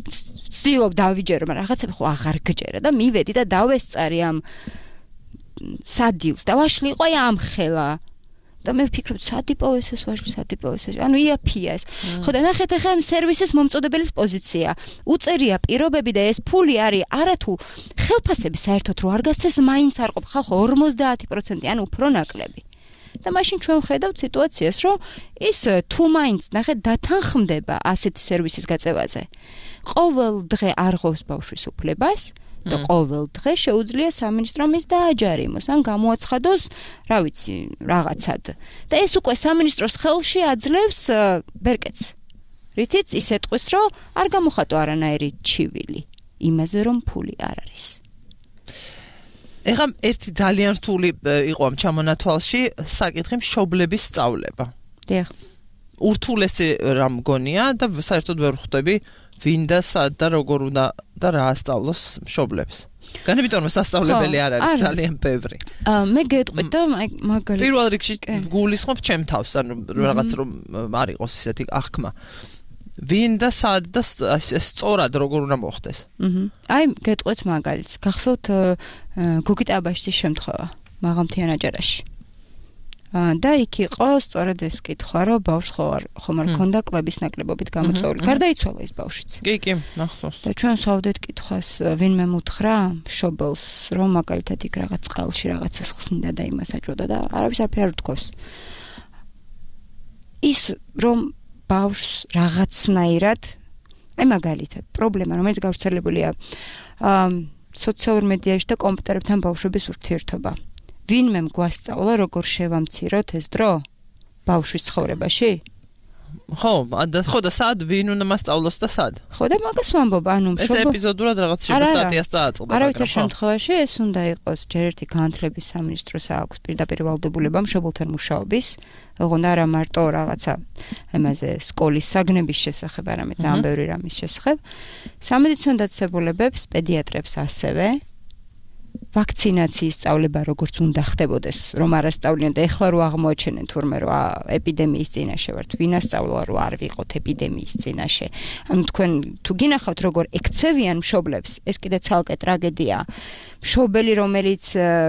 ვცდილობ დავიჯერო, მაგრამ რაღაცები ხო აღარ გჯერა და მივედი და დავესწარი ამ სადილს და ვაშლიყო ამ ხელა. და მე ვფიქრობ, სადიპოვეს ეს ვაშლი, სადიპოვეს ეს. ანუ იაფია ეს. ხო და ნახეთ ახლა ამ სერვისის მომწოდებელის პოზიცია. უწერია პირობები და ეს ფული არის არათუ ხელფასები საერთოდ რო არ გასცეს მაინც არ ყოფ ხალხო ორმოცდაათი პროცენტი ან უფრო ნაკლები. და მაშინ ჩვენ ვხედავთ სიტუაციას, რომ ის თუ მაინც ნახეთ დათანხმდება ასეთი სერვისის გაწევაზე. ყოველ დღე არ ღვევს ბავშვის უფლებას და ყოველ დღე შეუძლია სამინისტრომ ის დააჯარიმოს ან გამოაცხადოს, რა ვიცი, რაღაცად. და ეს უკვე სამინისტროს ხელში აძლევს ბერკეტს. რითიც ის ეტყვის, რომ არ გამოხატო არანაირი ჩივილი იმაზე, რომ ფული არ არის. ეხლა ერთი ძალიან რთული იყო ამ ჩამონათვალში საკითხი მშობლების სწავლება. დიახ. ურთულესი რა მგონია და საერთოდ ვერ ხვდები ვინ და სად და როგორ უნდა და რა ასწავლოს მშობლებს. განებიტონ სასწავლებელი არ არის ძალიან ბევრი. მე გეტყვით და მაგალითად პირველ რიგში გულისხმობ ჩემ თავს, ანუ რაღაც რომ არ იყოს ისეთი აღქმა. ვინ და სად და სწორად როგორ უნდა მოხდეს. აი გეტყვით მაგალითს, გახსოვთ გოგი ტაბაშის შემთხვევა მაღალმთიან აჭარაში. და იქ იყო სწორედ ეს კითხვა, რომ ბავშვს ხომ არ ქონდა კვების ნაკლებობით გამოწვეული. გარდაიცვალა ის ბავშვიც. კი, კი, მახსოვს. და ჩვენ ვსვავდეთ კითხვას, ვინმე მუთხრა მშობელს, რომ მაგალითად იქ რაღაც წყალში რაღაცას ხსნიდა და იმას აჭვოდა და არავის არაფერი არ უთქვამს. ის რომ ბავშვს რაღაცნაირად, აი მაგალითად, პრობლემა, რომელიც გავრცელებულია სოციალურ მედიაში და კომპიუტერებთან ბავშვების ურთიერთობა. ვინმე გვასწავლა, როგორ შევამციროთ ეს დრო ბავშვის ცხოვრებაში? ხო, და ხო და სად ვინ უნდა მასწავლოს და სად? ხო და მაგას ვამბობ, ანუ ეს ეპიზოდურად რაღაც სტატიას დააწყდა. არავითარ შემთხვევაში ეს უნდა იყოს ჯერ ერთი განათლების სამინისტროს აქვს პირდაპირ ვალდებულება მშობელთან მუშაობის, ოღონდ არა მარტო რაღაცა ამაზე სკოლის საგნების შესახებ, არამედ ძალიან ბევრი რამის შესახებ. სამედიცინო დაწესებულებებს, პედიატრებს ასევე ვაქცინაციის სწავლება როგორც უნდა ხდებოდეს, რომ არ ასწავლიან და ეხლა რო აღმოაჩენენ თურმე რომ ეპიდემიის წინაშე ვართ, ვინ ასწავლა რომ არ ვიყოთ ეპიდემიის წინაშე. ანუ თქვენ თუ გინახავთ როგორ ექცევიან მშობლებს, ეს კიდე ცალკე ტრაგედია. მშობელი რომელიც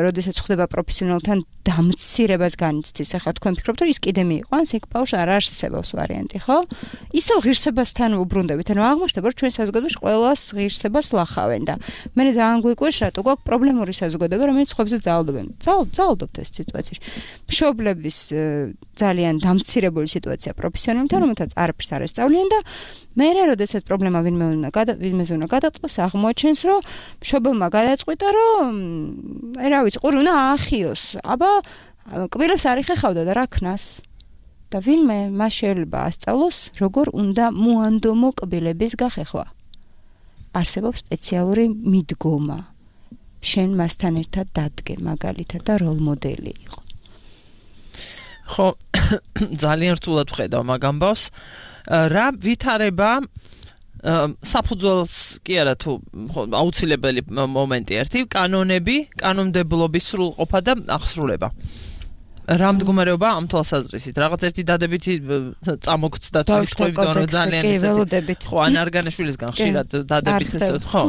როდესაც ხდება პროფესიონალთან დამცირებას განიცდის, ახლა თქვენ ფიქრობთ რომ ის კიდე მიიყვანს, ეგ ბავშვს არ არსებობს ვარიანტი, ხო? ისევ ღირსებასთან უბრუნდებით, ანუ აღმოჩნდება რომ ჩვენ საზოგადოებაში ყველას ღირსებას ლახავენ და მე ძალიან გვიკვირს რატო გვაქვს პრობლემური საზოგადოება, რომელიც ხობზე ძალდობენ. ძალდობთ ეს სიტუაციაში. მშობლების ძალიან დამცირებული სიტუაცია პროფესიონალთან, რომელთაც არაფერს არ ესწავლიან და მე როდესაც პრობლემა ვინმე უნდა გადა ვინმეზე უნდა გადაწყდეს, აღმოაჩენს რომ მშობელმა გადაწყვიტა რომ აი რა ვიცი, ყური უნდა აახიოს. აბა კბილებს არ იხეხავდა და რა ქნას? და ვინმე მას შეიძლება ასწავლოს, როგორ უნდა მოანდომო კბილების გახეხვა. არსებობს სპეციალური მიდგომა. შენ მასთან ერთად დადგე მაგალითად და როლ მოდელი იყო. ხო, ძალიან რთულად ვხედავ მაგ ამბავს. რა ვითარება საფუძველს კი არა თუ აუცილებელი მომენტი ერთი, კანონები, კანონმდებლობის სრულყოფა და აღსრულება. რა მდგომარეობა ამ თვალსაზრისით? რაღაც ერთი დადებითი წამოგცდა თუ თქვენ რომ ძალიან ისეთი. ხო, ან არგანაშვილისგან ხშირად დადებითი ესე ხო?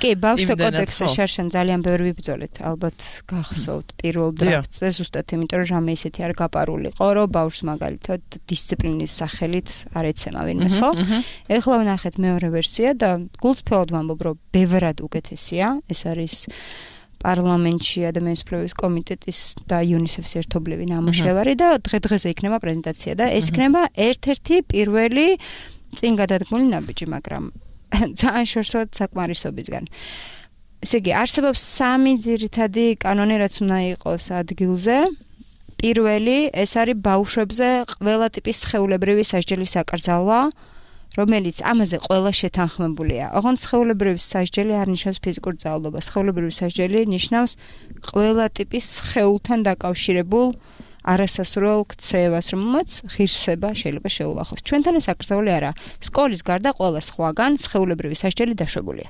კი, ბავშვთა კოდექსზე შარშან ძალიან ბევრი ვიბრძოლეთ, ალბათ გახსოვთ პირველ დრაფტზე, ზუსტად იმიტომ რომ რამე ისეთი არ გაპარულიყო, რომ ბავშვს მაგალითად დისციპლინის სახელით არ ეცემა ვინმეს, ხო? ეხლა ვნახეთ მეორე ვერსია და გულწრფელად ვამბობ, რომ ბევრად უკეთესია, ეს არის პარლამენტში ადამიანის უფლებების კომიტეტის და იუნისეფის ერთობლივი ნამუშევარი და დღე-დღეზე იქნება პრეზენტაცია და ეს იქნება ერთ-ერთი პირველი წინ გადადგმული ნაბიჯი, მაგრამ ძალიან შორსად საკმარისობისგან. ესე იგი, არსებობს სამი ძირითადი კანონი, რაც უნდა იყოს ადგილზე. პირველი, ეს არის ბავშვებზე ყველა ტიპის სხეულებრივი სასჯელის საკრძალვა, რომელიც ამაზე ყველა შეთანხმებულია. ოღონდ სხეულებრივი სასჯელი არ ნიშნავს ფიზიკურ ძალადობას. სხეულებრივი სასჯელი ნიშნავს ყველა ტიპის სხეულთან დაკავშირებულ არასასურველ ქცევას, რომელმაც ღირსება შეიძლება შეულახოს. ჩვენთან ეს აკრძალული არა. სკოლის გარდა ყველა სხვაგან სხეულებრივი სასჯელი დაშვებულია.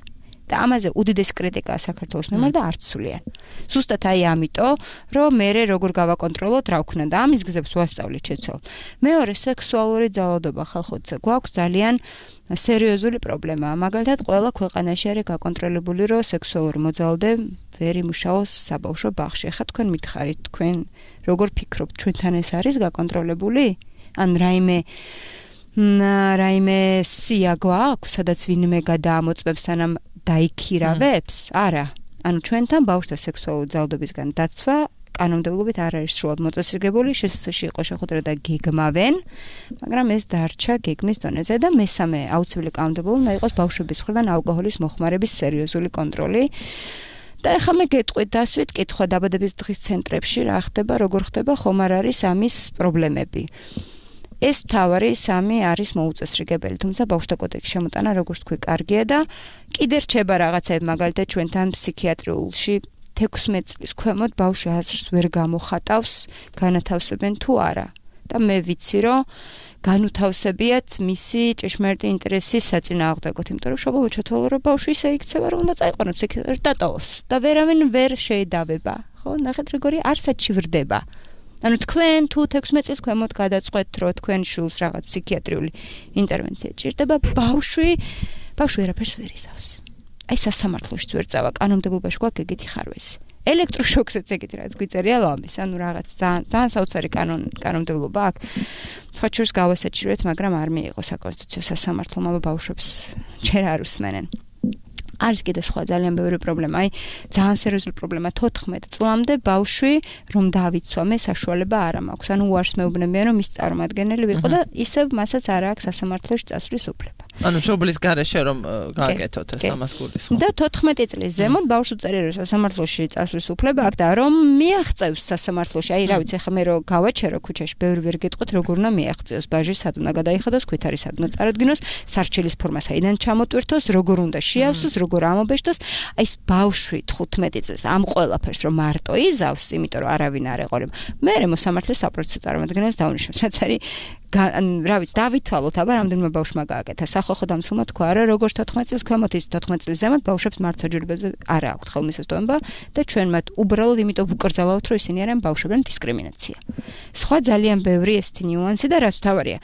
და ამაზე უდიდესი კრიტიკაა საქართველოს მიმართ და არც სულიან. Ზუსტად აი ამიტომ, რომ მე როგორ გავაკონტროლოთ, რა ვქნა და ამის გზებს ვასწავლით შეცვალ. მეორე სექსუალური ძალადობა ხალხოც გვაქვს ძალიან სერიოზული პრობლემაა. მაგალითად, ყველა ქვეყანაში არის გაკონტროლებული, რომ სექსუალური მოძალადე ვერ იმუშაოს საბავშვო ბაღში. ახლა თქვენ მითხარით, თქვენ როგორ ფიქრობთ, ჩვენთან ეს არის გაკონტროლებული? ან რაიმე რაიმე სია გვაქვს, სადაც ვინმე გადაამოწმებს, სანამ დაიქირავებს? არა. ანუ ჩვენთან ბავშვთა სექსუალური ძალადობისგან დაცვა კანონმდებლობით არ არის სრულად მოწესრიგებული, შესაძლოა იყო შეხვედრა და გეგმავენ, მაგრამ ეს დარჩა გეგმის დონეზე და მესამე აუცილებელი კანონმდებლობა უნდა იყოს ბავშვების მხრიდან ალკოჰოლის მოხმარების სერიოზული კონტროლი. და ეხლა მე გეტყვით დასვით კითხვა დაბადების დღის ცენტრებში რა ხდება, როგორ ხდება, ხომ არ არის ამის პრობლემები. ეს თავარი სამი არის მოუწესრიგებელი, თუმცა ბავშვთა კოდექსში შემოტანა, როგორც თქვი, კარგია და კიდე რჩება რაღაცები, მაგალითად ჩვენთან ფსიქიატრიულში თექვსმეტ წლის ქვემოთ ბავშვი აზრს ვერ გამოხატავს, განათავსებენ თუ არა. და მე ვიცი, რომ განუთავსებიათ მისი ჭეშმარიტი ინტერესის საწინააღმდეგოდ, იმიტომ რომ შობობა ჩათვალა, რომ ბავშვი ისე იქცევა, რომ უნდა წაიყვანოს ფსიქიატრში დატოვოს და ვერავინ ვერ შეედავება. ხო, ნახეთ როგორი არსად ჩივრდება. ანუ თქვენ თუ თექვსმეტ წლის ქვემოთ გადაწყვეტთ, რომ თქვენ შულს რაღაც ფსიქიატრიული ინტერვენცია ჭირდება, ბავშვი ბავშვი ვერაფერს ვერ იზავს. აი სასამართლოშიც ვერ წავა, კანონმდებლობაში გვაქვს ეგეთი ხარვესი. ელექტროშოკსაც ეგეთი რაც გვიწერია ლამის, ანუ რაღაც ძალიან ძალიან საოცარი კანონ კანონმდებლობა აქვს. სხვა შორს გავასაჭიროეთ, მაგრამ არ მიიღო საკონსტიტუციო სასამართლომ ბავშვებს ჯერ არ უსმენენ. არის კიდე სხვა ძალიან ბევრი პრობლემა, აი ძალიან სერიოზული პრობლემა თოთხმეტ წლამდე ბავშვი რომ დაავიცვა, მე საშუალება არ მაქვს. ანუ უარს მეუბნებიან რომ ის წარმომადგენელი ვიყო და ისევ მასაც არ აქვს სასამართლოში წასვლის უფლება. ანუ შობლის გარეშე რომ გააკეთოთ ეს ამას გულისხმობ. და თოთხმეტი წლის ზემოთ ბავშვს უწევია რომ სასამართლოში წასვლის უფლება აქვს და რომ მიაღწევს სასამართლოში. აი რა ვიცი, ხა მე რომ გავაჩერო ქუჩაში, ბევრი ვერ გეტყვით როგორ უნდა მიაღწევს, ბაჟი სად უნდა გადაიხადოს, ქვითარი სად უნდა წარადგინოს, სარჩელის ფორმა საიდან ჩამოტვირთოს, როგორ უნდა შეავსოს, როგორ ამობეშტოს. აი ეს ბავშვი თხუთმეტი წლის ამ ყველაფერს რომ მარტო იზავს, იმიტომ რომ არავინ არ ეყოლება. მე მოსამართლეს საპროცესო წარმოადგენელს დაუნიშნავს, რაც არის რა ვიცი, დავითვალოთ, აბა რამდენიმე ბავშვმა გააკეთა. სახალხო დამცველმა თქვა, რა როგორც თოთხმეტ წლის ქვემოთ, ის თოთხმეტ წლის ზემოთ ბავშვებს მართლმსაჯულებაზე არ აქვთ ხელმისაწვდომობა და ჩვენ მათ უბრალოდ იმიტომ ვუკრძალავთ, რომ ისინი არიან ბავშვებთან დისკრიმინაცია. სხვა ძალიან ბევრი ესეთი ნიუანსი და რაც თავარია.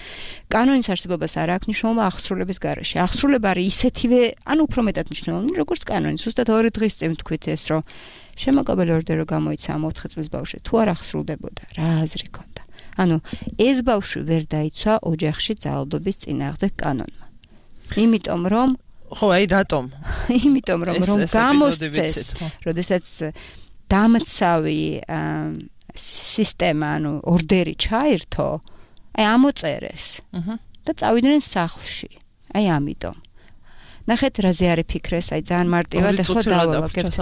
კანონის არსებობას არ აქვს მნიშვნელობა აღსრულების გარეშე. აღსრულება არის ისეთივე, ანუ უფრო მეტად მნიშვნელოვანი, როგორც კანონი. ზუსტად ორი დღის წინ თქვით ეს, რომ შემოკაბელი ორდერი გამოიცა ამ ოთხი წლის ბავშვი, თუ არ აღსრულდებოდა, რა აზრი ქონდა. ანუ ეს ბავშვი ვერ დაიცვა ოჯახში ძალადობის წინააღმდეგ კანონმა. იმიტომ რომ ხო, აი რატომ? იმიტომ რომ რომ გამოსცეს, როდესაც დამცავი სისტემა, ანუ ორდერი ჩაირთო, აი ამოწერეს. და წავიდნენ სახლში. აი ამიტომ. ნახეთ რაზე არის ფიქრეს, აი ძალიან მარტივად ახლა დავალაგებთ.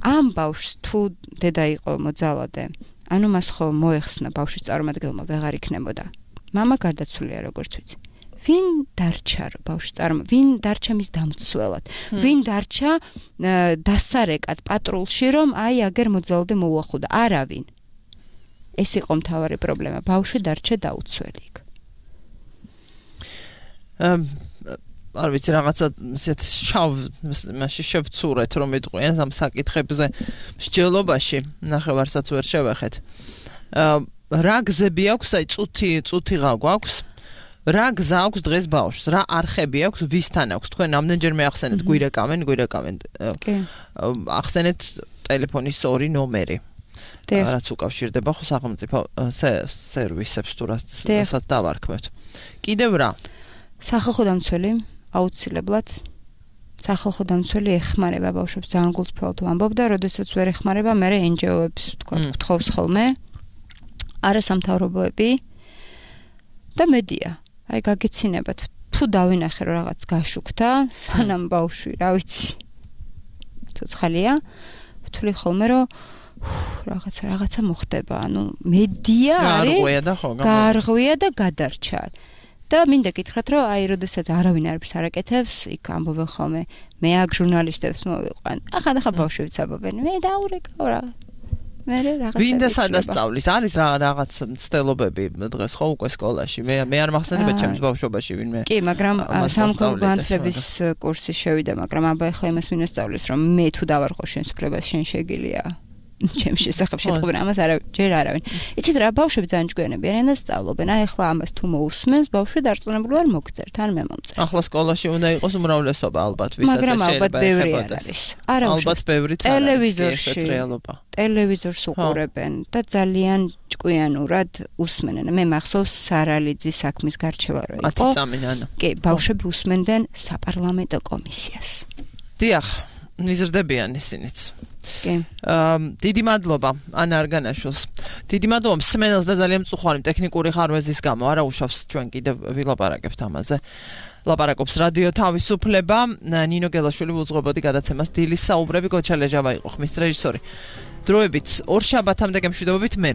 ამ ბავშვს თუ დედა იყო მოძალადე, ანუ მას ხო მოეხსნა ბავშვის წარმომადგენელმა ვეღარ იქნებოდა. მამა გარდაცვლილია როგორც ვიცი. ვინ დარჩა ბავშვის წარმო, ვინ დარჩა მის დამცველად, ვინ დარჩა დასარეკად პატრულში, რომ აი აგერ მოძალადე მოუახლოვდა, არავინ. ეს იყო მთავარი პრობლემა, ბავშვი დარჩა დაუცველი. არ ვიცი, რაღაცა ისეთ შავ მასში შევცურეთ, რომ ეტყვიან ამ საკითხებზე მსჯელობაში, ნახევარსაც ვერ შევეხეთ. რა გზები აქვს, აი წუთი, წუთი რა გვაქვს? რა გზა აქვს დღეს ბავშვს? რა არხები აქვს, ვისთან აქვს? თქვენ ამდენჯერმე ახსენეთ, გვირეკავენ, გვირეკავენ. ახსენეთ ტელეფონის ორი ნომერი. რაც უკავშირდება ხო სახელმწიფო სერვისებს თუ რასაც დავარქმევთ. კიდევ რა? სახალხო დამცველი აუცილებლად სახალხო დამცველი ეხმარება ბავშვებს ძალიან გულწრფელად ვამბობ და როდესაც ვერ ეხმარება, მე εν ჯი ო-ებს თქვა გთხოვს ხოლმე, არასამთავრობოები და მედია. აი გაგეცინებათ, თუ დავინახე რომ რაღაც გაშუქდა, სანამ ბავშვი, რა ვიცი, ცოცხალია, ვთვლი ხოლმე რომ რაღაცა რაღაცა მოხდება, ანუ მედია არის გარღვია და ხო, გარღვია და გადარჩა. და მინდა გითხრათ, რომ აი, როდესაც არავინ არაფერს არ აკეთებს, იქ ამბობენ ხოლმე, მე აქ ჟურნალისტებს მოვიყვან. ახლა ახლა ბავშვებიც ამბობენ, მე დაურეკავ რა. მე რაღაცა ვინ და სადაც სწავლის? არის რა რაღაც მცდელობები დღეს ხო უკვე სკოლაში? მე მე არ მახსენდება ჩემს ბავშვობაში ვინმე. კი, მაგრამ სამხელო განათლების კურსი შევიდა, მაგრამ აბა ახლა იმას ვინ ასწავლის, რომ მე თუ დავარყო შენს უფლებას, შენ შეგიძლია. ჩემს შესახებ შეთქმულება ამას არა ჯერ არავინ. იცით რა, ბავშვები ძალიან ჭკვიანები არიან და სწავლობენ. აი ახლა ამას თუ მოусმენს, ბავშვი დარწმუნებული არ მოგწერთ, ან მე მომწერთ. ახლა სკოლაში უნდა იყოს უმრავლესობა ალბათ, ვისაც მაგრამ ალბათ ბევრი არ არის. არა ალბათ ბევრი ტელევიზორში ტელევიზორს უყურებენ და ძალიან ჭკვიანურად უსმენენ. მე მახსოვს სარალიძის საქმის გარჩევა რო იყო. ათი წამი ნანა. კი, ბავშვები უსმენდნენ საპარლამენტო კომისიას. დიახ, მიზრდებიან ისინიც. კი. აა დიდი მადლობა ანა არგანაშვილს. დიდი მადლობა მსმენელს და ძალიან მწუხვარი ტექნიკური ხარვეზის გამო არა უშავს ჩვენ კიდევ ვილაპარაკებთ ამაზე. ლაპარაკობს რადიო თავისუფლება. ნინო გელაშვილი უძღვებოდი გადაცემას დილის საუბრები გოჩალეჟავა იყო ხმის რეჟისორი. დროებით ორ შაბათამდე გემშვიდობებით მე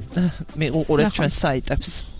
მიყურეთ ჩვენს საიტებს.